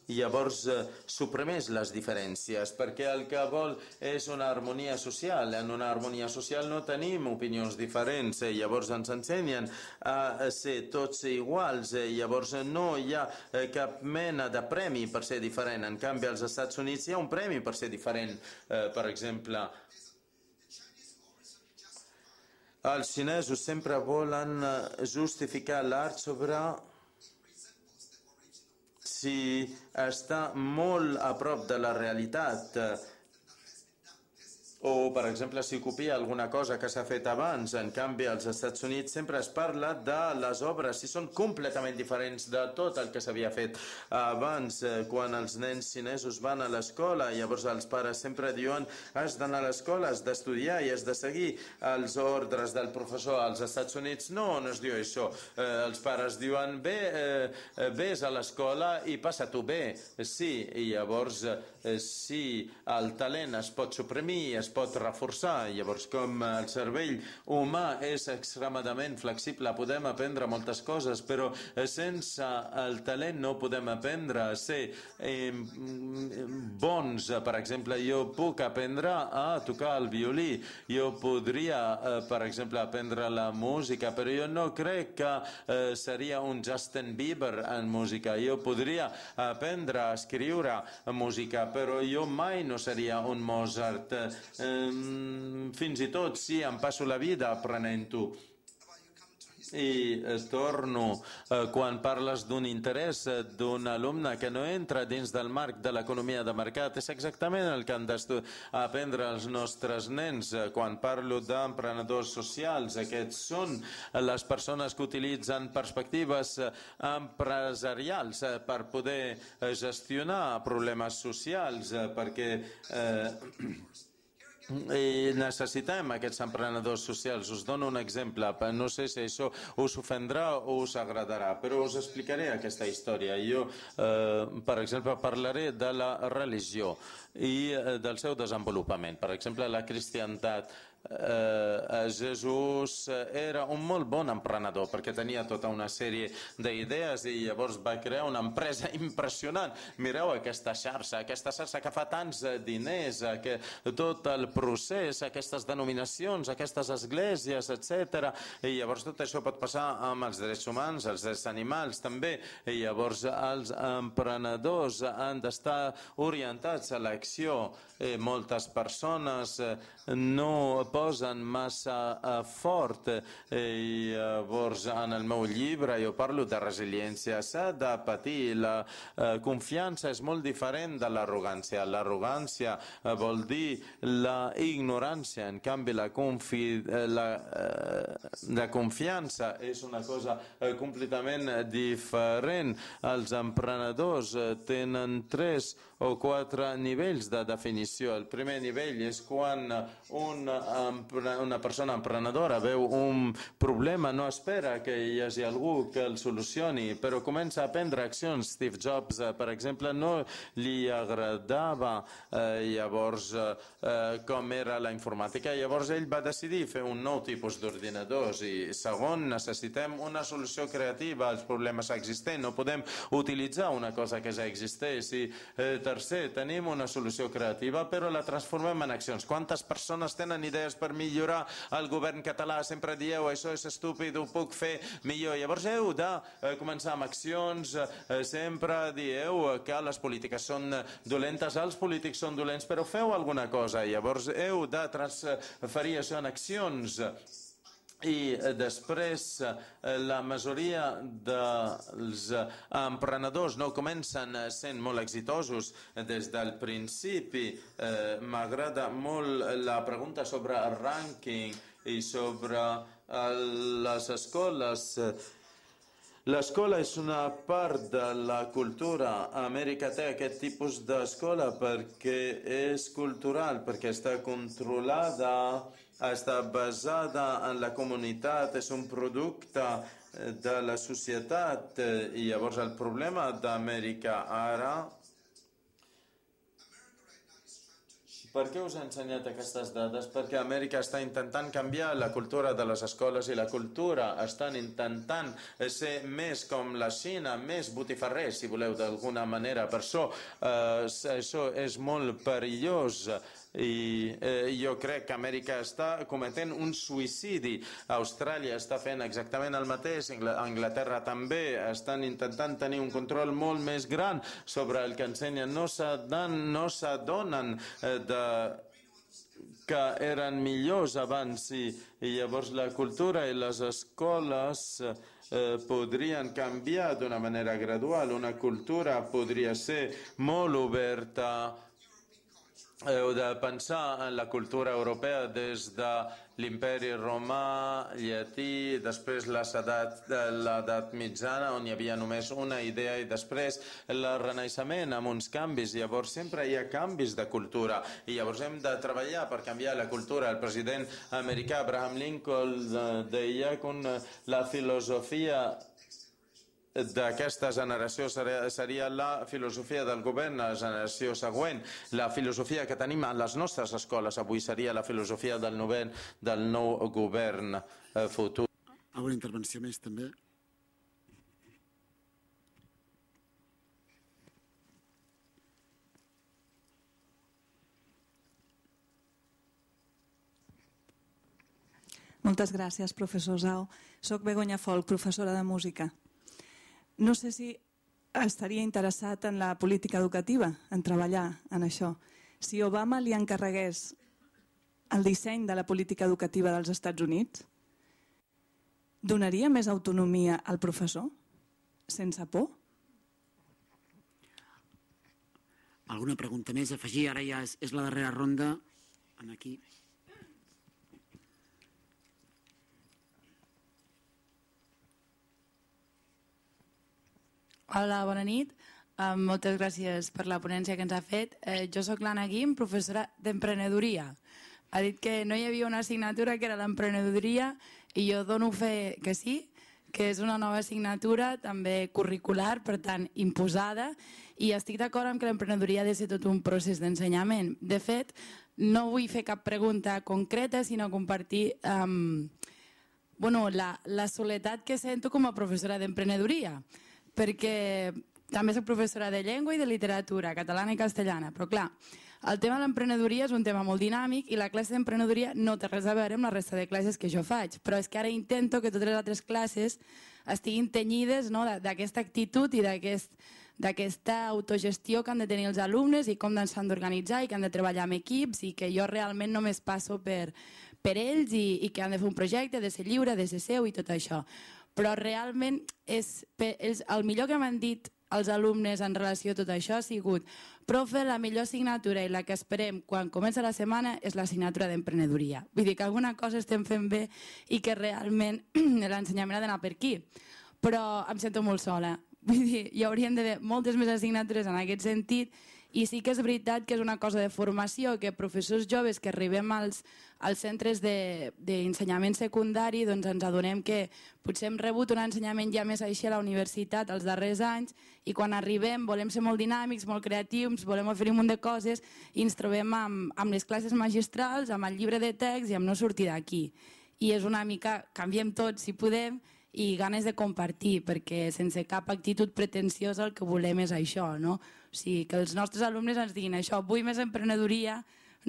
llavors eh, suprimeix les diferències, perquè el que vol és una harmonia social. En una harmonia social no tenim opinions diferents, eh, llavors ens ensenyen a ser tots iguals, eh, llavors no hi ha eh, cap mena de premi per ser diferent. En canvi, als Estats Units hi ha un premi per ser diferent. Eh, per exemple, els xinesos sempre volen justificar l'art sobre si està molt a prop de la realitat. O, per exemple, si copia alguna cosa que s'ha fet abans. En canvi, als Estats Units sempre es parla de les obres, si són completament diferents de tot el que s'havia fet abans. Quan els nens xinesos van a l'escola, llavors els pares sempre diuen has d'anar a l'escola, has d'estudiar i has de seguir els ordres del professor. Als Estats Units no, no es diu això. Eh, els pares diuen bé, eh, vés a l'escola i passa-t'ho bé. Sí, i llavors eh, sí, el talent es pot suprimir, es pot reforçar. Llavors, com el cervell humà és extremadament flexible, podem aprendre moltes coses, però sense el talent no podem aprendre a ser eh, bons. Per exemple, jo puc aprendre a tocar el violí, jo podria, eh, per exemple, aprendre la música, però jo no crec que eh, seria un Justin Bieber en música. Jo podria aprendre a escriure música, però jo mai no seria un Mozart. Fins i tot si em passo la vida aprenent-ho. I torno, quan parles d'un interès d'un alumne que no entra dins del marc de l'economia de mercat, és exactament el que han d'aprendre els nostres nens. Quan parlo d'emprenedors socials, aquests són les persones que utilitzen perspectives empresarials per poder gestionar problemes socials, perquè eh, i necessitem aquests emprenedors socials. Us dono un exemple, no sé si això us ofendrà o us agradarà, però us explicaré aquesta història. Jo, eh, per exemple, parlaré de la religió i del seu desenvolupament. Per exemple, la cristiantat. Eh, Jesús era un molt bon emprenedor perquè tenia tota una sèrie d'idees i llavors va crear una empresa impressionant. Mireu aquesta xarxa, aquesta xarxa que fa tants diners, que tot el procés, aquestes denominacions, aquestes esglésies, etcètera. I llavors tot això pot passar amb els drets humans, els drets animals també. I llavors els emprenedors han d'estar orientats a l'acció. Eh, moltes persones no posen massa fort i llavors en el meu llibre jo parlo de resiliència. S'ha de patir. La confiança és molt diferent de l'arrogància. L'arrogància vol dir la ignorància. En canvi, la, confi la, la confiança és una cosa completament diferent. Els emprenedors tenen tres o quatre nivells de definició. El primer nivell és quan una, una persona emprenedora veu un problema, no espera que hi hagi algú que el solucioni, però comença a prendre accions. Steve Jobs, per exemple, no li agradava eh, llavors eh, com era la informàtica. Llavors ell va decidir fer un nou tipus d'ordinadors. I segon, necessitem una solució creativa als problemes existents. No podem utilitzar una cosa que ja existeix. I eh, tercer, tenim una solució creativa, però la transformem en accions. Quantes persones tenen idees per millorar el govern català? Sempre dieu, això és estúpid, ho puc fer millor. Llavors heu de eh, començar amb accions. Eh, sempre dieu que les polítiques són dolentes, els polítics són dolents, però feu alguna cosa. Llavors heu de transferir això en accions. I després la majoria dels emprenedors no comencen sent molt exitosos des del principi. Eh, M'agrada molt la pregunta sobre el rànquing i sobre les escoles. L'escola és una part de la cultura. Amèrica té aquest tipus d'escola perquè és cultural, perquè està controlada, està basada en la comunitat, és un producte de la societat. I llavors el problema d'Amèrica ara... Per què us he ensenyat aquestes dades? Perquè Amèrica està intentant canviar la cultura de les escoles i la cultura estan intentant ser més com la Xina, més botifarrers, si voleu, d'alguna manera. Per això eh, això és molt perillós. I eh, jo crec que Amèrica està cometent un suïcidi. Austràlia està fent exactament el mateix, Anglaterra també. Estan intentant tenir un control molt més gran sobre el que ensenyen. No s'adonen eh, de que eren millors abans i, i llavors la cultura i les escoles eh, podrien canviar d'una manera gradual. Una cultura podria ser molt oberta. Heu de pensar en la cultura europea des de l'imperi romà, llatí, després l'edat mitjana, on hi havia només una idea, i després el renaixement amb uns canvis. Llavors sempre hi ha canvis de cultura i llavors hem de treballar per canviar la cultura. El president americà Abraham Lincoln deia que la filosofia d'aquesta generació seria la filosofia del govern, la generació següent. La filosofia que tenim a les nostres escoles avui seria la filosofia del, novent, del nou govern futur. Alguna intervenció més també? Moltes gràcies, professor Zhao. Soc Begoña Folk, professora de música. No sé si estaria interessat en la política educativa, en treballar en això. Si Obama li encarregués el disseny de la política educativa dels Estats Units, donaria més autonomia al professor? Sense por? Alguna pregunta més a afegir? Ara ja és, és la darrera ronda. Aquí. Hola, bona nit. Uh, moltes gràcies per la ponència que ens ha fet. Uh, jo sóc l'Anna Guim, professora d'emprenedoria. Ha dit que no hi havia una assignatura que era l'emprenedoria i jo dono fe que sí, que és una nova assignatura també curricular, per tant imposada, i estic d'acord amb que l'emprenedoria ha de ser tot un procés d'ensenyament. De fet, no vull fer cap pregunta concreta, sinó compartir um, bueno, la, la soledat que sento com a professora d'emprenedoria, perquè també soc professora de llengua i de literatura, catalana i castellana, però clar, el tema de l'emprenedoria és un tema molt dinàmic i la classe d'emprenedoria no té res a veure amb la resta de classes que jo faig, però és que ara intento que totes les altres classes estiguin tenyides, no, d'aquesta actitud i d'aquesta autogestió que han de tenir els alumnes i com s'han d'organitzar i que han de treballar amb equips i que jo realment només passo per, per ells i, i que han de fer un projecte, de ser lliure, de ser seu i tot això. Però realment és, és el millor que m'han dit els alumnes en relació a tot això ha sigut: profe, la millor assignatura i la que esperem quan comença la setmana és l'assignatura d'emprenedoria. Vull dir que alguna cosa estem fent bé i que realment l'ensenyament ha d'anar per aquí. Però em sento molt sola. Vull dir, hi haurien d'haver moltes més assignatures en aquest sentit i sí que és veritat que és una cosa de formació, que professors joves que arribem als, als centres d'ensenyament secundari doncs ens adonem que potser hem rebut un ensenyament ja més així a la universitat els darrers anys i quan arribem volem ser molt dinàmics, molt creatius, volem oferir un munt de coses i ens trobem amb, amb les classes magistrals, amb el llibre de text i amb no sortir d'aquí. I és una mica, canviem tot si podem, i ganes de compartir, perquè sense cap actitud pretensiosa el que volem és això, no? O sigui, que els nostres alumnes ens diguin això, vull més emprenedoria,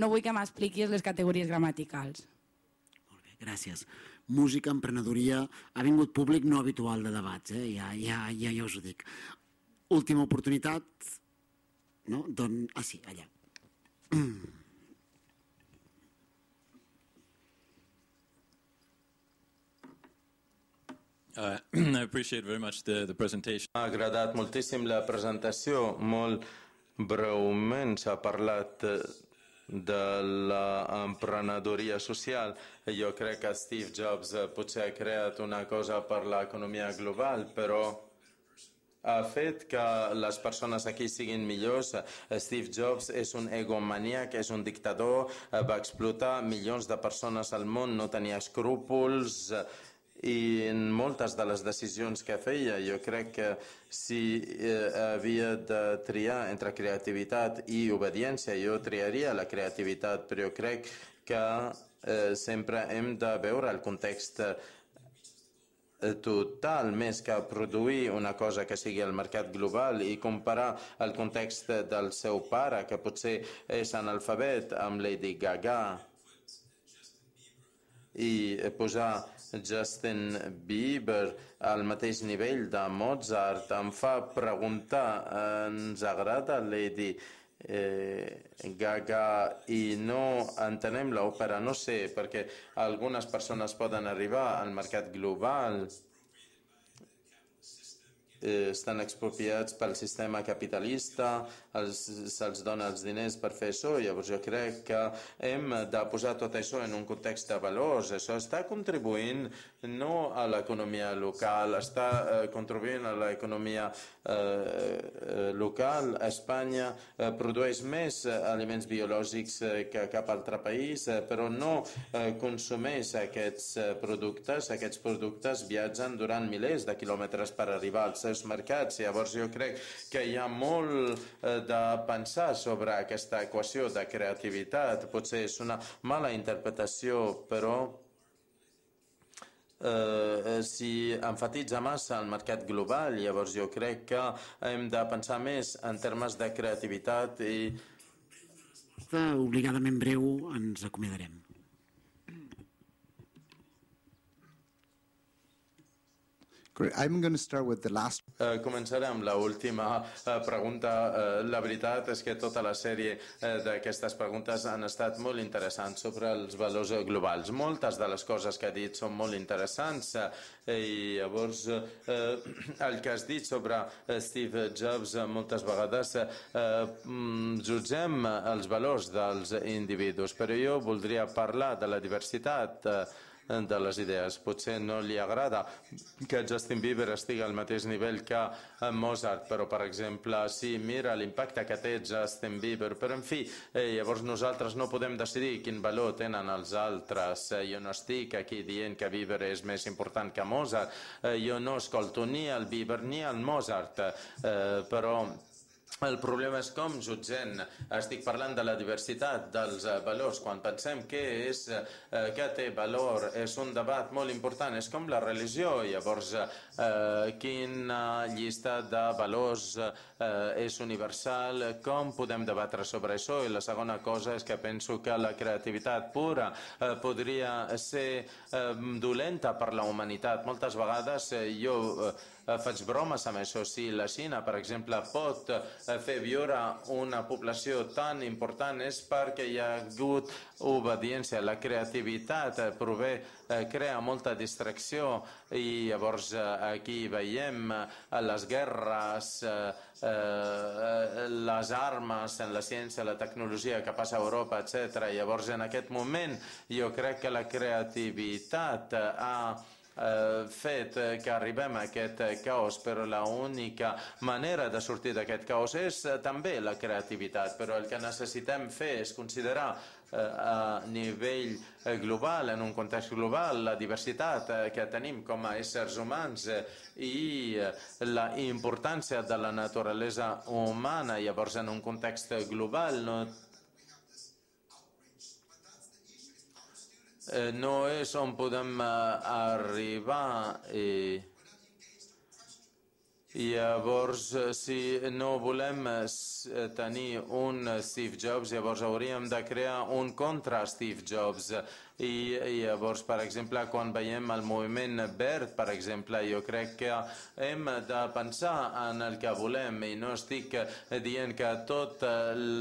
no vull que m'expliquis les categories gramaticals. Molt bé, gràcies. Música, emprenedoria, ha vingut públic no habitual de debats, eh? ja, ja, ja, ja us ho dic. Última oportunitat, no? Don... Ah, sí, allà. Uh, I appreciate very much the, the presentation. M'ha agradat moltíssim la presentació, molt breument s'ha parlat de l'emprenedoria social. Jo crec que Steve Jobs potser ha creat una cosa per l'economia global, però ha fet que les persones aquí siguin millors. Steve Jobs és un egomaniac, és un dictador, va explotar milions de persones al món, no tenia escrúpols, i en moltes de les decisions que feia jo crec que si eh, havia de triar entre creativitat i obediència jo triaria la creativitat, però jo crec que eh, sempre hem de veure el context total més que produir una cosa que sigui al mercat global i comparar el context del seu pare que potser és analfabet amb Lady Gaga i posar Justin Bieber al mateix nivell de Mozart em fa preguntar, ens agrada Lady eh, Gaga i no entenem l'òpera? No sé, perquè algunes persones poden arribar al mercat global, eh, estan expropiats pel sistema capitalista, se'ls dona els diners per fer això, llavors jo crec que hem de posar tot això en un context de valors. Això està contribuint no a l'economia local, està eh, contribuint a l'economia eh, local. Espanya eh, produeix més eh, aliments biològics eh, que cap altre país, eh, però no eh, consumeix aquests eh, productes. Aquests productes viatgen durant milers de quilòmetres per arribar als seus mercats. Llavors jo crec que hi ha molt eh, de pensar sobre aquesta equació de creativitat. Potser és una mala interpretació, però eh, si enfatitza massa el mercat global, llavors jo crec que hem de pensar més en termes de creativitat i... Obligadament breu ens acomiadarem. Great. I'm going to start with the last. Uh, començaré amb l'última uh, pregunta. Uh, la veritat és que tota la sèrie uh, d'aquestes preguntes han estat molt interessants sobre els valors globals. Moltes de les coses que ha dit són molt interessants uh, i llavors uh, el que has dit sobre uh, Steve Jobs uh, moltes vegades uh, uh, jutgem els valors dels individus, però jo voldria parlar de la diversitat uh, de les idees. Potser no li agrada que Justin Bieber estigui al mateix nivell que Mozart, però, per exemple, sí, mira l'impacte que té Justin Bieber, però, en fi, eh, llavors nosaltres no podem decidir quin valor tenen els altres. Eh, jo no estic aquí dient que Bieber és més important que Mozart. Eh, jo no escolto ni el Bieber ni el Mozart, eh, però el problema és com jutgem. Estic parlant de la diversitat dels valors. Quan pensem què és, què té valor, és un debat molt important. És com la religió. Llavors, eh, quina llista de valors eh, és universal, com podem debatre sobre això? I la segona cosa és que penso que la creativitat pura eh, podria ser eh, dolenta per la humanitat. Moltes vegades eh, jo eh, faig bromes amb això. Si la Xina, per exemple, pot fer viure una població tan important és perquè hi ha hagut obediència. La creativitat prové, crea molta distracció i llavors aquí veiem les guerres, les armes en la ciència, la tecnologia que passa a Europa, etcètera. Llavors, en aquest moment, jo crec que la creativitat ha fet que arribem a aquest caos, però l'única manera de sortir d'aquest caos és també la creativitat. Però el que necessitem fer és considerar a nivell global, en un context global, la diversitat que tenim com a éssers humans i la importància de la naturalesa humana. Llavors, en un context global, no no és on podem arribar i llavors si no volem tenir un Steve Jobs, llavors hauríem de crear un contra Steve Jobs. I llavors, per exemple, quan veiem el moviment verd, per exemple, jo crec que hem de pensar en el que volem i no estic dient que tot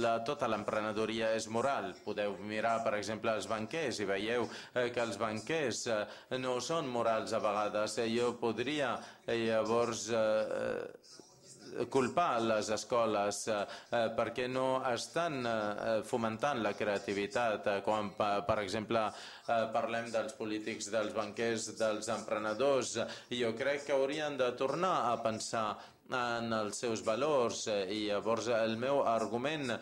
la, tota l'emprenedoria és moral. Podeu mirar, per exemple, els banquers i veieu que els banquers no són morals a vegades. Jo podria llavors culpar les escoles eh, perquè no estan eh, fomentant la creativitat. Eh, quan, per exemple, eh, parlem dels polítics, dels banquers, dels emprenedors, jo crec que haurien de tornar a pensar en els seus valors i llavors el meu argument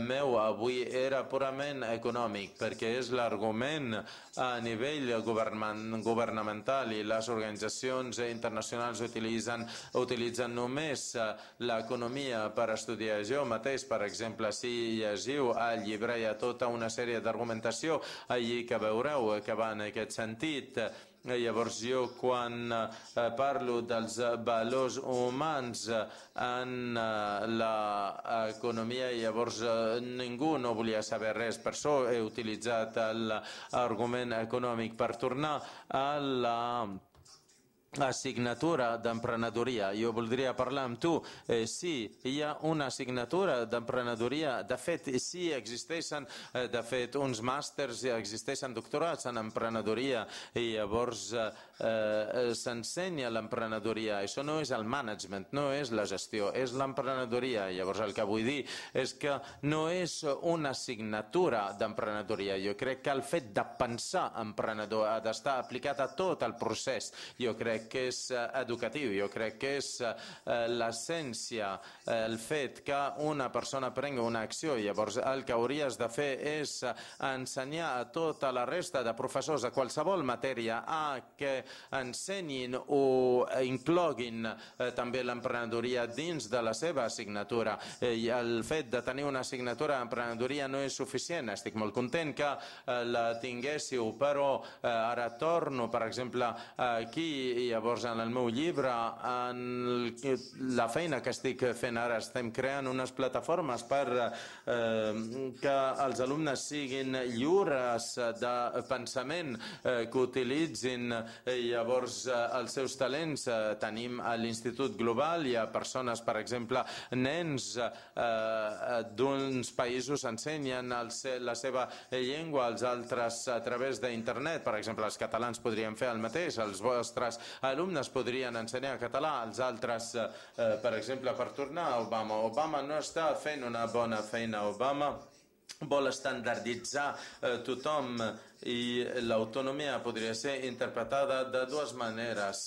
meu avui era purament econòmic perquè és l'argument a nivell governamental i les organitzacions internacionals utilitzen, utilitzen només l'economia per estudiar. Jo mateix, per exemple, si llegiu al llibre hi ha tota una sèrie d'argumentació allí que veureu que va en aquest sentit. Llavors jo quan parlo dels valors humans en l'economia, llavors ningú no volia saber res, per això he utilitzat l'argument econòmic per tornar a la assignatura d'emprenedoria. Jo voldria parlar amb tu. Eh, sí, hi ha una assignatura d'emprenedoria. De fet, sí, existeixen eh, de fet uns màsters, existeixen doctorats en emprenedoria i llavors eh, eh, s'ensenya l'emprenedoria. Això no és el management, no és la gestió, és l'emprenedoria. Llavors el que vull dir és que no és una assignatura d'emprenedoria. Jo crec que el fet de pensar emprenedor ha d'estar aplicat a tot el procés. Jo crec que és educatiu, jo crec que és l'essència, el fet que una persona prengui una acció. Llavors el que hauries de fer és ensenyar a tota la resta de professors de qualsevol matèria a que ensenyin o incloguin també l'emprenedoria dins de la seva assignatura. I el fet de tenir una assignatura d'emprenedoria no és suficient. Estic molt content que la tinguéssiu, però ara torno, per exemple, aquí i llavors en el meu llibre, en la feina que estic fent ara, estem creant unes plataformes per eh, que els alumnes siguin lliures de pensament, eh, que utilitzin eh, llavors eh, els seus talents. Eh, tenim a l'Institut Global, hi ha persones, per exemple, nens eh, d'uns països ensenyen el, la seva llengua als altres a través d'internet. Per exemple, els catalans podrien fer el mateix, els vostres alumnes podrien ensenyar català als altres, eh, per exemple, per tornar a Obama. Obama no està fent una bona feina. Obama vol estandarditzar eh, tothom i l'autonomia podria ser interpretada de dues maneres.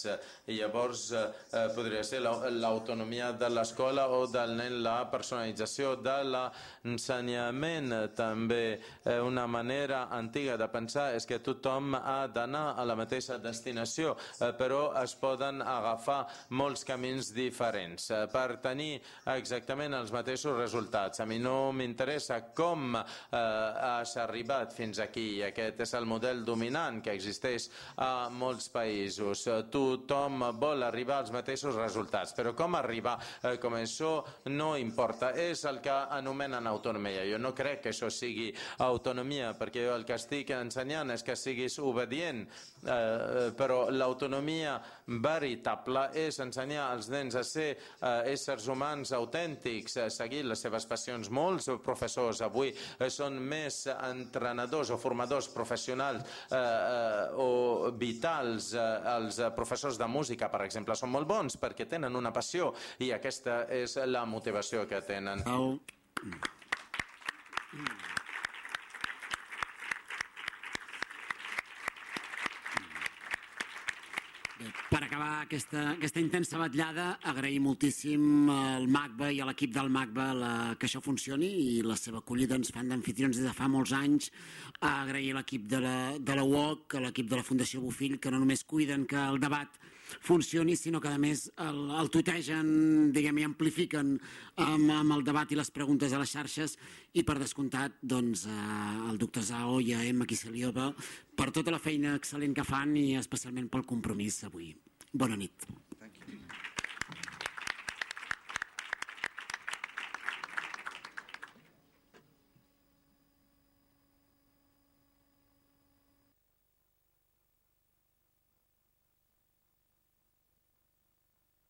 I llavors eh, podria ser l'autonomia de l'escola o del nen, la personalització de l'ensenyament. També eh, una manera antiga de pensar és que tothom ha d'anar a la mateixa destinació, eh, però es poden agafar molts camins diferents eh, per tenir exactament els mateixos resultats. A mi no m'interessa com eh, has arribat fins aquí. Aquest és el model dominant que existeix a molts països. Tothom vol arribar als mateixos resultats, però com arribar, eh, com això no importa, és el que anomenen autonomia. Jo no crec que això sigui autonomia, perquè jo el que estic ensenyant és que siguis obedient, eh, però l'autonomia veritable és ensenyar als nens a ser eh, éssers humans autèntics, a seguir les seves passions. Molts professors avui eh, són més entrenadors o formadors professionals eh, eh, o vitals. Eh, els professors de música, per exemple, són molt bons perquè tenen una passió i aquesta és la motivació que tenen. Oh. Per acabar aquesta, aquesta intensa batllada, agrair moltíssim al MACBA i a l'equip del MACBA la, que això funcioni, i la seva acollida ens fan d'anfitrions des de fa molts anys. Agrair a l'equip de la, de la U O C, a l'equip de la Fundació Bofill, que no només cuiden que el debat funcioni, sinó que a més el, el tutegen, diguem, i amplifiquen amb, amb el debat i les preguntes a les xarxes, i per descomptat doncs, al doctor Zhao i a Emma Kiseliova per tota la feina excel·lent que fan i especialment pel compromís avui. Bona nit.